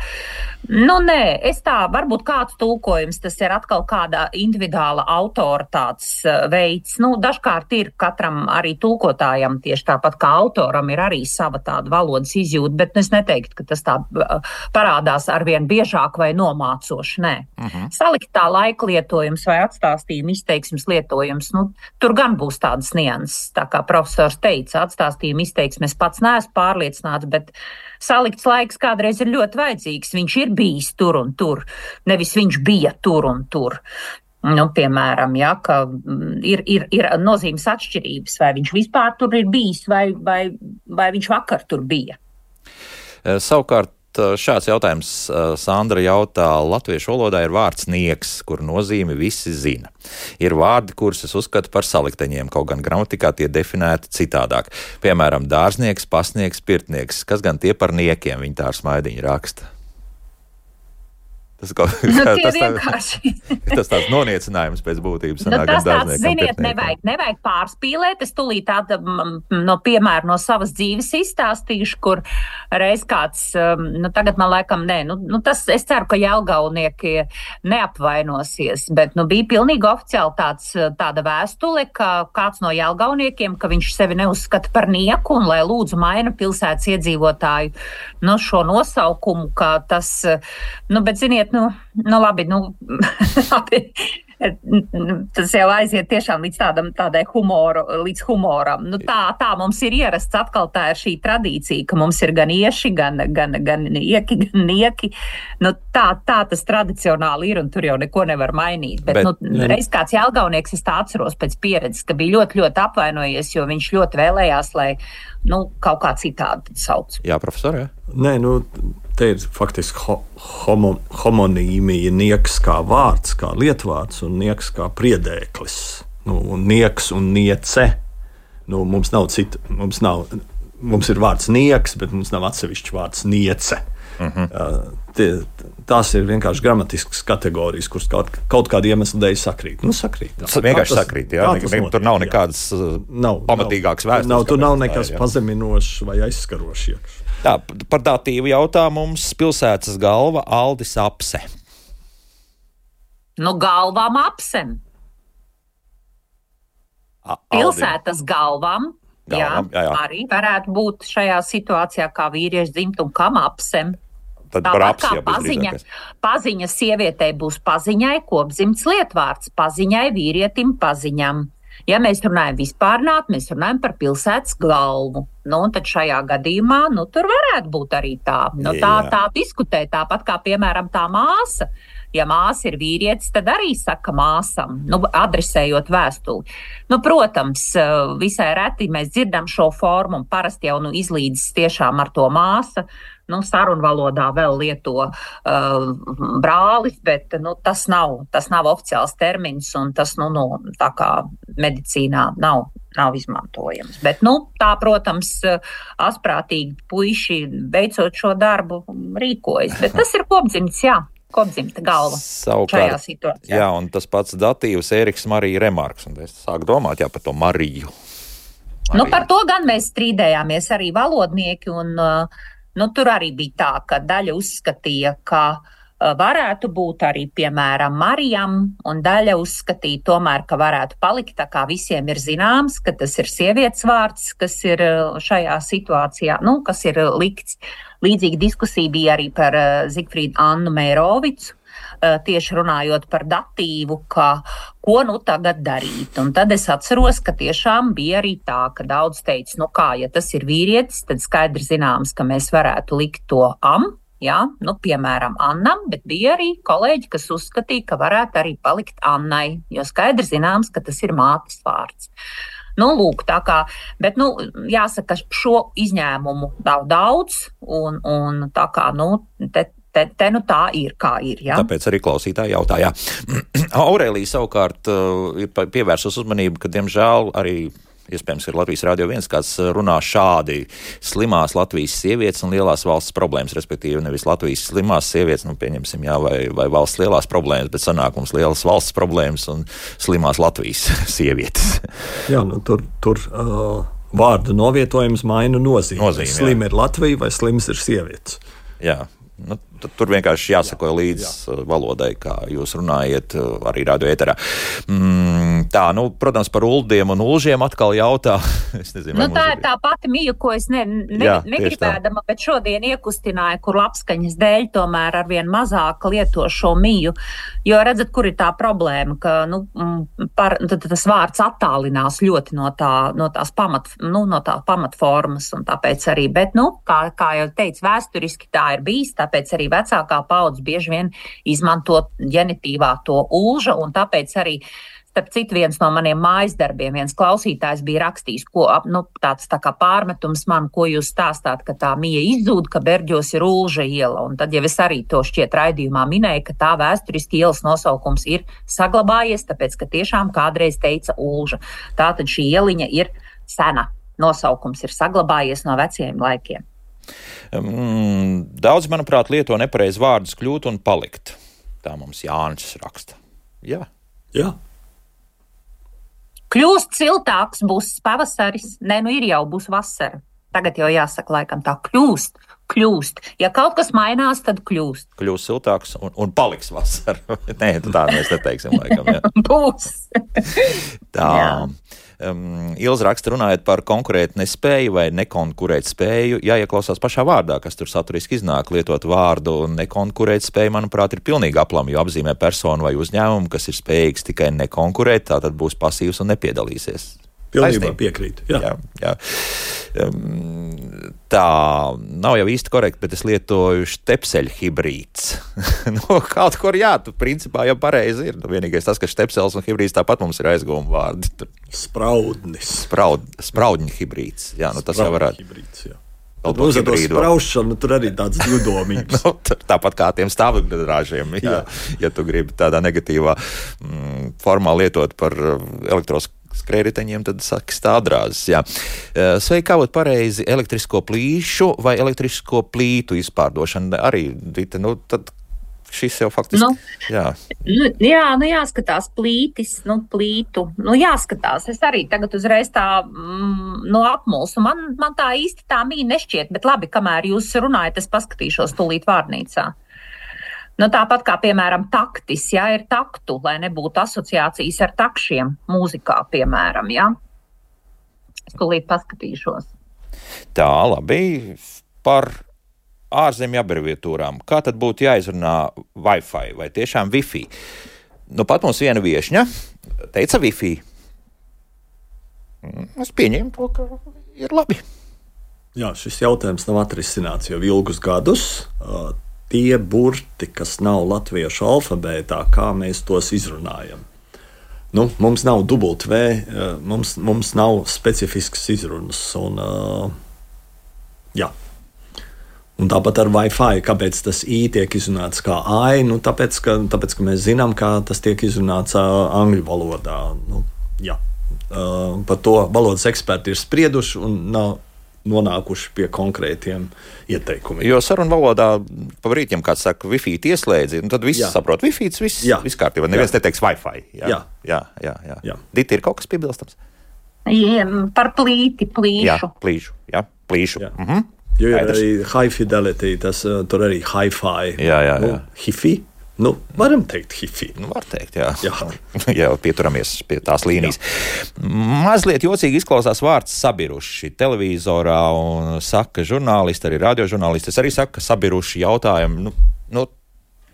Nu, nē, es tā, varbūt kāds tulkojums, tas ir atkal kāda individuāla autora tāds uh, veids. Nu, dažkārt ir katram arī tulkotājam tieši tāpat kā autoram ir arī sava tāda valodas izjūta, bet es neteiktu, ka tas tā uh, parādās arvien biežāk vai nomācoši, nē. Uh-huh. Saliktā laika lietojums vai atstāstījuma izteiksmes lietojums, nu, tur gan būs tādas nianses, tā kā profesors teica, atstāstījuma izteiksmes pats neesmu pārliecināts, bet salikts laiks kādreiz ir ļoti vajadzīgs. Viņš ir bijis tur un tur, nevis viņš bija tur un tur. Nu, piemēram, ja, ka ir, ir, ir nozīmes atšķirības, vai viņš vispār tur ir bijis, vai, vai, vai viņš vakar tur bija. Savukārt, šāds jautājums Sandra jautā, latviešu valodā ir vārds nieks, kur nozīmi visi zina. Ir vārdi, kurus es uzskatu par salikteņiem, kaut gan gramatikā tie definēti citādāk. Piemēram, dārznieks, pasnieks, pirtnieks. Kas gan tie par niekiem, viņi tā ar smaidiņu raksta. Tas, kaut, nu, tas, vienkārši. tas tāds noniecinājums pēc būtības. Nu, tas tāds, ziniet, nevajag, nevajag pārspīlēt. Es tūlīt tāda no piemēra no savas dzīves izstāstīšu, kur reiz kāds, nu tagad man laikam nē, nu, nu tas, es ceru, ka jelgavnieki neapvainosies, bet nu bija pilnīgi oficiāli tāds, tāda vēstule, ka kāds no jelgavniekiem, ka viņš sevi neuzskata par nieku un lai lūdzu maina pilsētas iedzīvotāju, nu šo nosaukumu, ka tas, nu, bet ziniet, Nu, nu labi, nu, labi. Tas jau aiziet tiešām līdz tādam, tādai humoru, līdz humoram. Nu, tā, tā mums ir ierasts, atkal tā ir šī tradīcija, ka mums ir gan ieši, gan, gan, gan ieki, gan nieki. Nu, tā, tā tas tradicionāli ir, un tur jau neko nevar mainīt. Bet, Bet nu, reiz kāds jelgavnieks, es tā atceros pēc pieredzes, ka bija ļoti, ļoti apvainojies, jo viņš ļoti vēlējās, lai, nu, kaut kā citādi sauc. Jā, profesor, jā? Nē, nu, te ir faktiski ho, homo, homonīmija, nieks kā vārds, kā lietvārds, un nieks kā priedēklis. Nu, un nieks un niece. Nu, mums nav cita, mums nav, mums ir vārds nieks, bet mums nav atsevišķs vārds niece. Uh-huh. Uh, tie, tās ir vienkārši gramatiskas kategorijas, kuras kaut, kaut kāda iemesla dēļ sakrīt. Nu, sakrīt. Tā. Vienkārši tas, sakrīt, jā. Ne, ne, tur nav nekādas nav, pamatīgākas vēstures. Nav, tur nav nekas ir, pazeminošs vai aizskarošs iekš. Tā, par datīvu jautā mums pilsētas galva Aldis Apse. Nu, galvām apsem. A, pilsētas galvām, galvām jā, jā, jā. Arī varētu būt šajā situācijā kā vīriešu dzimtumu kam apsem. Tad tāpat kā paziņa, paziņa sievietei būs paziņai kopdzimts lietvārds, paziņai vīrietim paziņam. Ja mēs runājam vispārnāt, mēs runājam par pilsētas galvu. Nu, un tad šajā gadījumā, nu, tur varētu būt arī tā. Nu, tā, tā diskutē, tāpat kā, piemēram, tā māsa. Ja māsa ir vīrietis, tad arī saka māsam, nu, adresējot vēstuli. Nu, protams, visai reti mēs dzirdam šo formu, un parasti jau nu, izlīdzas tiešām ar to māsa. Nu, sarunvalodā vēl lieto uh, brālis, bet nu, tas, nav, tas nav oficiāls termins, un tas nu, nu, tā kā medicīnā nav, nav izmantojams. Bet, nu, tā, protams, asprātīgi puiši veicot šo darbu rīkojas. Bet tas ir kopdzimts, jā. Kopdzimta galva Savukārt, šajā situācijā. Jā, un tas pats datīvs Ēriks Marija Remarks, un es sāku domāt, jā, par to Mariju. Mariju. Nu, par to gan mēs strīdējāmies arī valodnieki, un nu, tur arī bija tā, ka daļa uzskatīja, ka varētu būt arī, piemēram, Marijam, un daļa uzskatīja tomēr, ka varētu palikt, tā kā visiem ir zināms, ka tas ir sievietes vārds, kas ir šajā situācijā, nu, kas ir likts. Līdzīga diskusija bija arī par Zigfrīdu Annu Mērovicu, tieši runājot par datīvu, ka ko nu tagad darīt. Un tad es atceros, ka tiešām bija arī tā, ka daudz teica, nu kā, ja tas ir vīrietis, tad skaidri zināms, ka mēs varētu likt to am, jā, nu piemēram Annam, bet bija arī kolēģi, kas uzskatīja, ka varētu arī palikt Annai, jo skaidri zināms, ka tas ir mātes vārds. Nu, lūk, tā kā, bet, nu, jāsaka, šo izņēmumu nav daudz, un, un tā kā, nu, te, te, te nu tā ir, kā ir, jā. Tāpēc arī klausītāji jautā, jā. Aurēlija savukārt uh, ir pievērsus uzmanību, ka, diemžēl, arī iespējams, ir Latvijas Rādio viens, kāds runā šādi: slimās Latvijas sievietes un lielās valsts problēmas, respektīvi nevis Latvijas slimās sievietes, nu pieņemsim, jā, vai, vai valsts lielās problēmas, bet sanākums lielas valsts problēmas un slimās Latvijas sievietes. Jā, nu tur, tur uh, vārdu novietojums maina nozīmi. Nozīmi, Slim ir Latvija vai slims ir sievietes. Jā. Nu, tur vienkārši jāsako līdz jā. valodai, kā jūs runājat arī radio ēterā. Mm, tā, nu, protams, par uldiem un ulžiem atkal jautā. Es nezinu, nu, tā ir tā pati mija, ko es ne, ne, jā, negribēdama, bet šodien iekustināju, kur labskaņas dēļ tomēr arvien mazāk lieto šo miju. Jo redzat, kur ir tā problēma, ka nu, par, tas vārds attālinās ļoti no, tā, no tās pamat, nu, no tā pamatformas, un tāpēc arī, bet, nu, kā, kā jau teicu, vēsturiski tā ir bijis, tāpēc arī vecākā paudze bieži vien izmanto ģenitīvā to ulža, un tāpēc arī, starp citu, viens no maniem mājas darbiem, viens klausītājs bija rakstījis, ko, nu, tāds tā kā pārmetums man, ko jūs stāstāt, ka tā mija izzūd, ka Berģos ir ulža iela, un tad jau es arī to šķiet raidījumā minēju, ka tā vēsturiski ielas nosaukums ir saglabājies, tāpēc, ka tiešām kādreiz teica ulža. Tātad šī ieliņa ir sena, nosaukums ir saglabājies no veciem laikiem. Mm, daudz, manuprāt, lieto nepareizi vārdus kļūt un palikt. Tā mums Jānis raksta. Jā. Jā. Kļūst siltāks, būs pavasaris. Nē, nu ir jau, būs vasara. Tagad jau jāsaka laikam tā, kļūst, kļūst. Ja kaut kas mainās, tad kļūst. Kļūst siltāks un, un paliks vasara. Nē, tā mēs neteiksim laikam, jā. Būs. Tā. Jā. Um, Ilza raksta, runājot par konkurēt nespēju vai nekonkurēt spēju, jāieklausās pašā vārdā, kas tur saturiski iznāk. Lietot vārdu nekonkurēt spēju, manuprāt, ir pilnīgi aplami, jo apzīmē personu vai uzņēmumu, kas ir spējīgs tikai nekonkurēt, tātad būs pasīvs un nepiedalīsies. Pilnībā piekrītu. Jā. Jā, jā. Um, tā nav jau īsti korekti, bet es lietoju štepseļu hibrīds. Nu, kaut kur jā, tu principā jau pareizi ir. Nu, vienīgais tas, ka štepsels un hibrīds tāpat mums ir aizgūma vārdi. Spraudnis. Spraud, spraudņu hibrīds. Jā, nu tas jau varētu. Hibrīds, jā. Uz to spraušanu tur arī tāds ļudomības. Nu, tāpat kā tiem stāvokļrāžiem, jā, ja tu gribi tādā negatīvā mm, formā lietot par elektros skrējriteņiem, tad saki stādrāzes, jā. Sveiki, kā būt pareizi elektrisko plīšu vai elektrisko plītu izpārdošana? Arī, Dita, nu, tad šis jau faktiski, nu, jā. Nu, jā, nu jāskatās plītis, nu, plītu, nu jāskatās. Es arī tagad uzreiz tā, mm, no apmulsu. Man, man tā īsti tā mīja nešķiet, bet labi, kamēr jūs runājat, es paskatīšos tūlīt vārnīcā. Nu, tāpat kā, piemēram, taktis, jā, ir taktu, lai nebūtu asociācijas ar takšiem mūzikā, piemēram, jā. Es tūlīt paskatīšos. Tā, labi, par ārzemju abreviatūrām. Kā tad būtu jāizrunā Wi-Fi vai tiešām Wi-Fi? Nu, pat mums viena viešņa teica Wi-Fi. Es pieņēmu to, ka ir labi. Jā, šis jautājums nav atrisināts jau ilgus gadus. Tie burti, kas nav latviešu alfabētā, kā mēs tos izrunājam. Nu, mums nav dubult V, mums, mums nav specifiskas izrunas. Un, jā. Un tāpat ar Wi-Fi, kāpēc tas I tiek izrunāts kā ai, nu, tāpēc, ka, tāpēc, ka mēs zinām, kā tas tiek izrunāts angļu valodā. Nu, jā. Par to valodas eksperti ir sprieduši un nav nonākuši pie konkrētiem ieteikumiem. Jo sarunu valodā pa brītiem kāds saka Wi-Fi ieslēdzi, un tad viss jā. Saprot Wi-Fi, viss, viss kārtībā. Neviens jā. Neteiks Wi-Fi. Jā, jā, jā. jā, jā. jā. Dita, ir kaut kas piebilstams? Jā, par plīti, plīšu. Jā, plīšu, jā, plīšu. Jā. Mhm. Jo ir arī high fidelity, tas tur arī hi-fi. Jā, jā, jā. Nu, hi-fi. Nu, varam teikt hifi. Nu, var teikt, jā. Jā. Jā, pieturamies pie tās līnijas. Jā. Mazliet jocīgi izklausās vārds sabiruši. Televizorā un saka žurnālisti, arī radiožurnālisti. Es arī saku, ka sabiruši jautājumi. Nu, nu,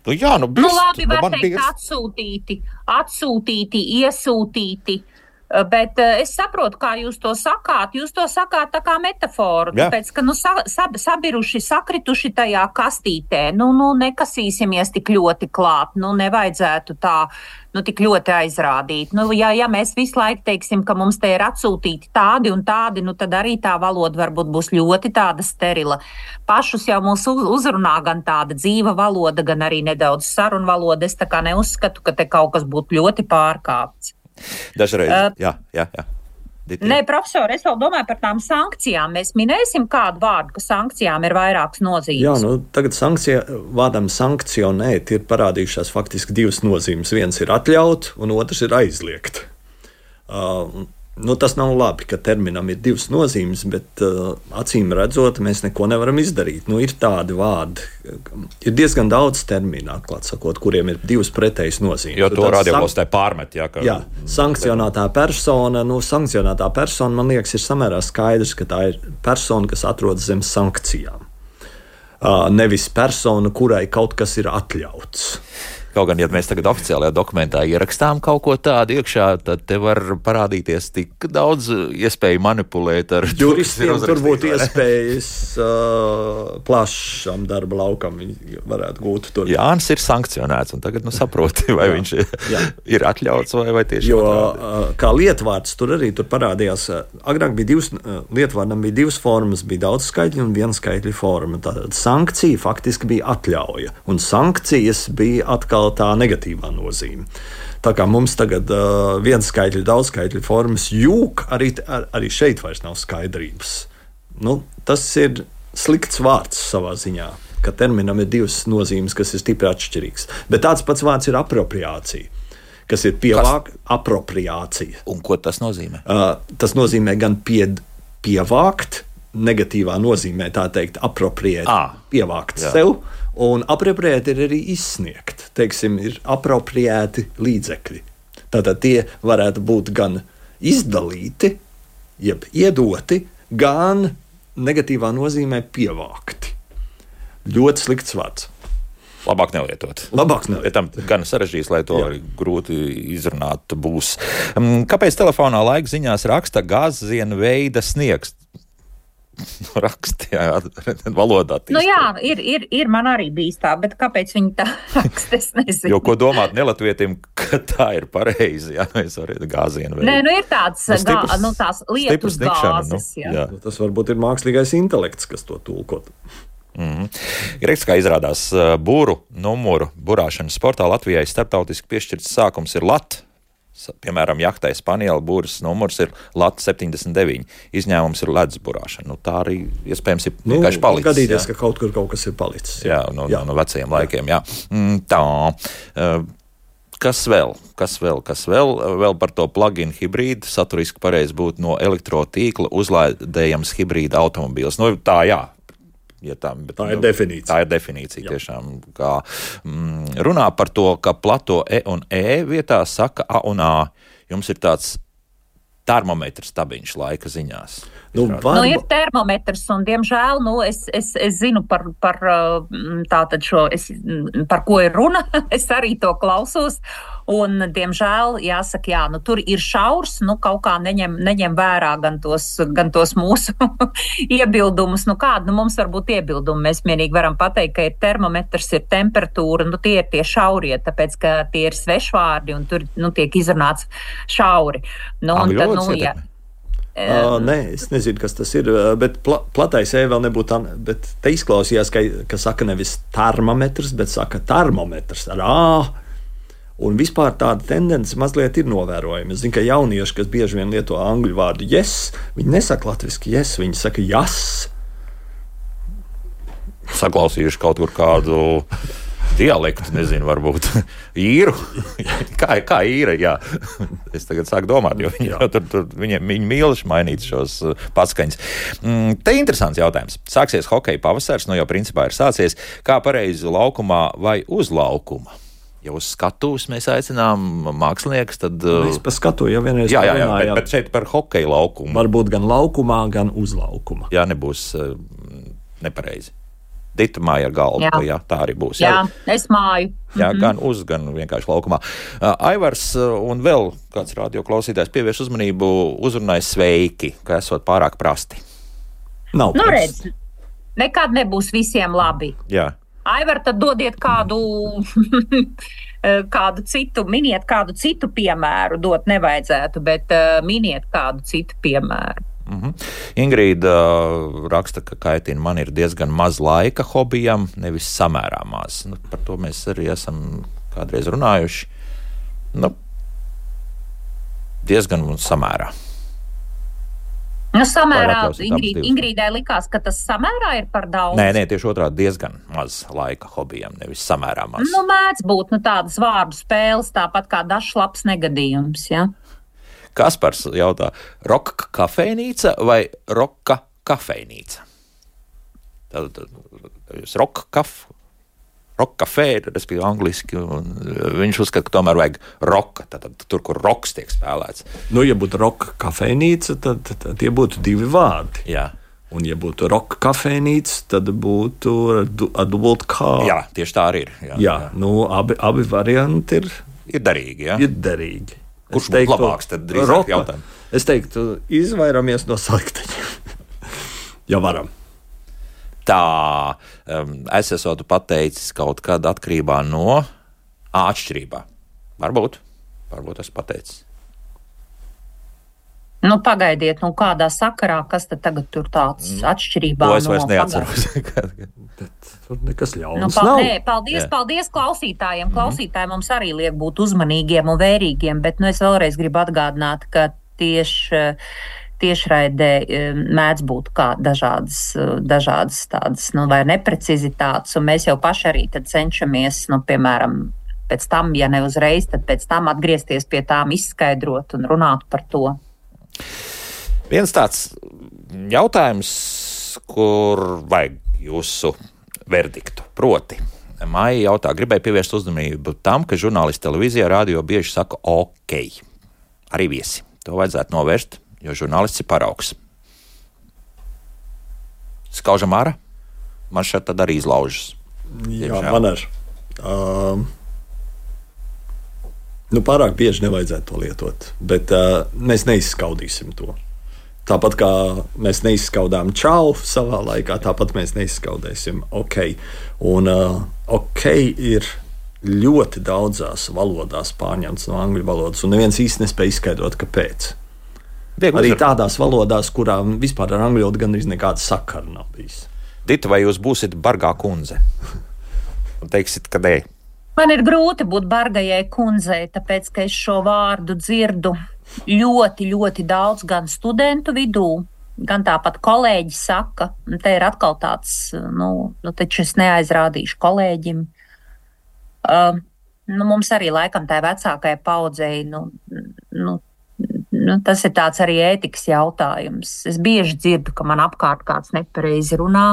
nu jā, nu, nu labi, nu, var teikt birs... atsūtīti, atsūtīti, iesūtīti. Bet es saprotu, kā jūs to sakāt. Jūs to sakāt tā kā metaforu, jā. Tāpēc, ka nu, sa, sab, sabiruši, sakrituši tajā kastītē. Nu, nu, nekasīsimies tik ļoti klāt, nu, nevajadzētu tā, nu, tik ļoti aizrādīt. Nu, ja, ja mēs visu laiku teiksim, ka mums te ir atsūtīti tādi un tādi, nu, tad arī tā valoda varbūt būs ļoti tāda sterila. Pašus jau mūs uzrunā gan tāda dzīva valoda, gan arī nedaudz sarunu valoda. Es tā kā neuzskatu, ka te kaut kas būtu ļoti pārkāpts. Dažreiz, uh, jā, jā, jā. Diti? Nē, profesor, es vēl domāju par tām sankcijām. Mēs minēsim kādu vārdu, ka sankcijām ir vairākas nozīmes. Jā, nu, tagad sankcija, vārdam sankcionēt ir parādījušās faktiski divas nozīmes. Viens ir atļaut, un otrs ir aizliegt. Uh, Nu, tas nav labi, ka terminam ir divas nozīmes, bet uh, acīm redzot, mēs neko nevaram izdarīt. Nu, ir tādi vārdi, ir diezgan daudz terminu, atklāt sakot, kuriem ir divas pretējas nozīmes. Jo to radioklostē pārmet, jā. Ka... Jā, sankcionētā persona, nu, sankcionētā persona, man liekas, ir samērā skaidrs, ka tā ir persona, kas atrodas zem sankcijām. Uh, nevis persona, kurai kaut kas ir atļauts. Kaut gan, ja mēs tagad oficiālajā dokumentā ierakstām kaut ko tādu iekšā, tad te var parādīties tik daudz iespēju manipulēt ar juristiem. Tur būtu iespējas uh, plašam darba laukam viņi varētu gūt tur. Jānis ir sankcionēts, un tagad nu saproti, vai jā, viņš jā. ir atļauts vai, vai tieši jo, uh, kā lietvārds tur arī tur parādījās. Agrāk bija divas, uh, lietvārdam bija divas formas, bija daudz skaitļu un viena skaitļu forma. Tātad sankcija faktiski bija atļauja, un sankcijas bija atkal tā negatīvā nozīme. Tā kā mums tagad uh, viens skaitļu, daudz skaitļu formas jūk, arī, ar, arī šeit vairs nav skaidrības. Nu, tas ir slikts vārds savā ziņā, ka terminam ir divas nozīmes, kas ir stipri atšķirīgs. Bet tāds pats vārds ir apropriācija, kas ir pievāk, apropriācija. Un ko tas nozīmē? Uh, tas nozīmē gan pie, pievākt, negatīvā nozīmē, tā teikt, apropriēt, à, pievākt jā. sev, un apropriēt ir arī izsniegt. Teiksim, ir apropriēti līdzekļi. Tātad tie varētu būt gan izdalīti, jeb iedoti, gan negatīvā nozīmē pievākti. Ļoti slikts vārds. Labāk nelietot. Labāk nelietot. Tam gan sarežģīts, lai to grūti izrunāt būs. Kāpēc telefonā laika ziņās raksta gāzienu veida sniegs? Raksti, jā, valodā. Nu jā, ir, ir, ir man arī bijis tā, bet kāpēc viņi tā raksta, es nezinu. Jo ko domāt nelatvietim, ka tā ir pareizi, jā, mēs varam gāzienu veidu. Nē, nu ir tāds, nu, stiprs, gā, nu tās lietus gāzes, nu, jā. jā. Nu, tas varbūt ir mākslīgais intelekts, kas to tulkot. Mm-hmm. Greks, kā izrādās, būru numuru burāšanas sportā Latvijai starptautiski piešķirts sākums ir lat. Piemēram, jahtai Spaniela būras numurs ir lat septiņdesmit deviņi. Izņēmums ir ledus burāšana. Nu, tā arī iespējams ir nu, vienkārši palicis. Gadīties, jā. ka kaut kur kaut kas ir palicis. Jā, no, jā. no, no vecajiem laikiem, jā. Mm, tā. Kas vēl? Kas vēl? Kas vēl? Vēl par to plug-in hibrīdu. Saturiski pareizi būtu no elektrotīkla uzlādējams hibrīda automobīls. Nu, tā, jā. Ja tā, bet, tā ir definīcija. Tā ir definīcija jā. Tiešām. Kā, mm, runā par to, ka plato E un E vietā saka A un A. Jums ir tāds termometrs stabiņš laika ziņās. Nu, var... nu, ir termometrs, un, diemžēl, nu, es, es, es zinu par, par, tātad šo, es, par ko ir runa. Es arī to klausos. Un, diemžēl, jāsaka, jā, nu, tur ir šaurs, nu, kaut kā neņem, neņem vērā gan tos, gan tos mūsu iebildumus. Nu, kādu nu, mums var būt iebildumi? Mēs vienīgi varam pateikt, ka ir termometrs, ir temperatūra, nu, tie ir tie šaurie, tāpēc, ka tie ir svešvārdi un tur, nu, tiek izrunāts šauri. Nu, un tad, nu, jā. Uh, nē, es nezinu, kas tas ir, bet pla, platais E vēl nebūtu tā, bet te izklausījās, ka, ka saka nevis termometrs, bet saka termometrs ar A. Un vispār tāda tendence mazliet ir novērojama. Es zinu, ka jaunieši, kas bieži vien lieto angļu vārdu yes, viņi nesaka latviski yes, viņi saka jas. Saklausījuši kaut kur kādu dialektu, nezinu, varbūt īru. Kā, kā īra, jā. Es tagad sāku domāt, jo viņi, tur, tur, viņi, viņi mīluši mainīt šos paskaņas. Mm, te interesants jautājums. Sāksies hokeja pavasars, nu jau principā ir sācies. Kā pareizi laukumā vai uz laukuma? Ja uz skatuves mēs aicinām māksliniekus, tad... Mēs pa skatu jau vienreiz jā, jā, jā, bet, bet šeit par hokeja laukumu. Varbūt gan laukumā, gan uz laukuma. Jā, nebūs uh, nepareizi. Dita māja ar galvu, jā. jā, tā arī būs. Jā, jā es māju. Jā, mm-hmm. gan uz, gan vienkārši laukumā. Uh, Aivars un vēl kāds radio klausītājs pievērš uzmanību uzrunāja sveiki, ka esot pārāk prasti. Nav nu, redz, nekad nebūs visiem labi. Jā. Aivar, tad dodiet kādu, kādu citu, miniet kādu citu piemēru, dot nevajadzētu, bet uh, miniet kādu citu piemēru. Mm-hmm. Ingrīda uh, raksta, ka kaitina man ir diezgan maz laika hobijam, nevis samērā maz. Nu, par to mēs arī esam kādreiz runājuši. Nu, diezgan un samērā. Nu, samērā atļausit abas Ingrīd, divas? Ingrīdai likās, ka tas samērā ir par daudz. Nē, nē, tieši otrādi diezgan maz laika hobijam, nevis samērā maz. Nu, mēdz būt nu, tādas vārdu spēles, tāpat kā dažs labs negadījums. Ja? Kaspars jautā, roka kafejnīca vai roka kafejnīca? Tad, tad jūs roka kaf, roka kafē, respektīvi angliski, un viņš uzskata, ka tomēr vajag roka, tad, tad tur, kur roks tiek spēlēts. Nu, ja būtu roka kafejnīca, tad, tad, tad tie būtu divi vārdi. Jā. Un, ja būtu roka kafejnīca, tad būtu ar dubult kā. Jā, tieši tā arī ir. Jā, jā, jā. Nu, abi, abi varianti ir, ir derīgi, jā? Ir derīgi. Kurš būtu labāks, tad drīzāk jautājumu? Es teiktu, izvairamies no salikteņiem. Ja varam. Tā, um, es esmu pateicis kaut kad atkarībā no atšķirībā. Varbūt, varbūt es pateicis. Nu, pagaidiet, nu kādā sakarā, kas tad tagad tur tāds atšķirībā? To es vairs no neatceros. Tur nekas ļauns nu, pal nav. nē, paldies, Jā. paldies klausītājiem. Klausītāji mums arī liek būt uzmanīgiem un vērīgiem, bet nu, es vēlreiz gribu atgādināt, ka tieši tiešraidē mēdz būt kā dažādas, dažādas tādas, nu, vai neprecizitātes, un mēs jau paši arī tad cenšamies, nu, piemēram, pēc tam, ja ne uzreiz, tad pēc tam atgriezties pie tām, izskaidrot un runāt par to. Viens tāds jautājums, kur vajag jūsu verdiktu, proti. Maija jautā, gribēju pievērst uzmanību tam, ka žurnālisti televīzijā, radio bieži saka ok. Arī viesi. To vajadzētu novērst, jo žurnālists ir paraugs. Skaužam ārā? Man šeit tad arī izlaužas. Jā, man ar. Um, nu, pārāk bieži nevajadzētu to lietot, bet uh, mēs neizskaudīsim to. Tāpat kā mēs neizskaudām čau savā laikā, tāpat mēs neizskaudēsim ok. Un uh, ok ir ļoti daudzās valodās pārņemts no angļu valodas, un neviens īsti nespēja izskaidrot, kāpēc. Viegli arī uzvar. Tādās valodās, kurām vispār ar angļu valodu gandrīz nekāda sakara nav bijis. Dita, vai jūs būsiet bargā kundze? Un teiksit, ka nē. Man ir grūti būt bargajai kundzei, tāpēc, ka es šo vārdu dzirdu ļoti, ļoti daudz gan studentu vidū, gan tāpat kolēģi saka, un te ir atkal tāds, nu, nu taču es neaizrādīšu kolēģim. Uh, nu, mums arī laikam tā vecākajai paudzei, nu, nu, nu, tas ir tāds arī ētikas jautājums. Es bieži dzirdu, ka man apkārt kāds nepareizi runā,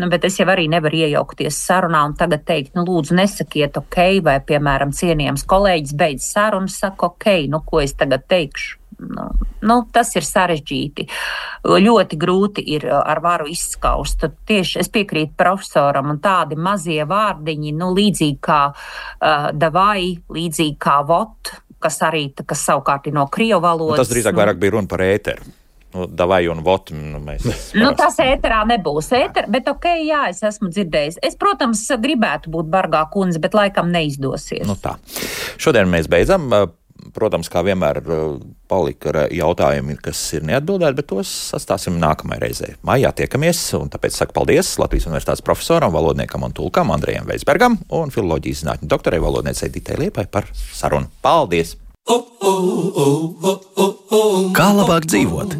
nu, bet es jau arī nevaru iejaukties sarunā un tagad teikt, nu, lūdzu, nesakiet ok, vai, piemēram, cienījams kolēģis beidz sarunu, saka ok, nu, ko es tagad teikšu? Nu, nu, tas ir sarežģīti. Ļoti grūti ir ar varu izskaust. Tad tieši es piekrītu profesoram, un tādi mazie vārdiņi, nu, līdzīgi kā uh, davai, līdzīgi kā vot, kas arī, kas savukārt ir no krievu valodas. Nu, tas drīzāk vairāk bija runa par ēteru. Nu, davai un vot. Nu, mēs nu, tas ēterā nebūs ēter, bet ok, jā, es esmu dzirdējis. Es, protams, gribētu būt bargā kundze, bet laikam neizdosies. Nu tā. Šodien mēs beidzam. Protams, kā vienmēr palika jautājumi, kas ir neatbildēti, bet tos atstāsim nākamajai reizē. Maijā tiekamies, un tāpēc saku paldies Latvijas Universitātes profesoram, valodniekam un tulkam Andrejam Veisbergam un filoloģijas zinātņu doktorai valodniecei Ditai Liepai par sarunu. Paldies! Kā labāk dzīvot?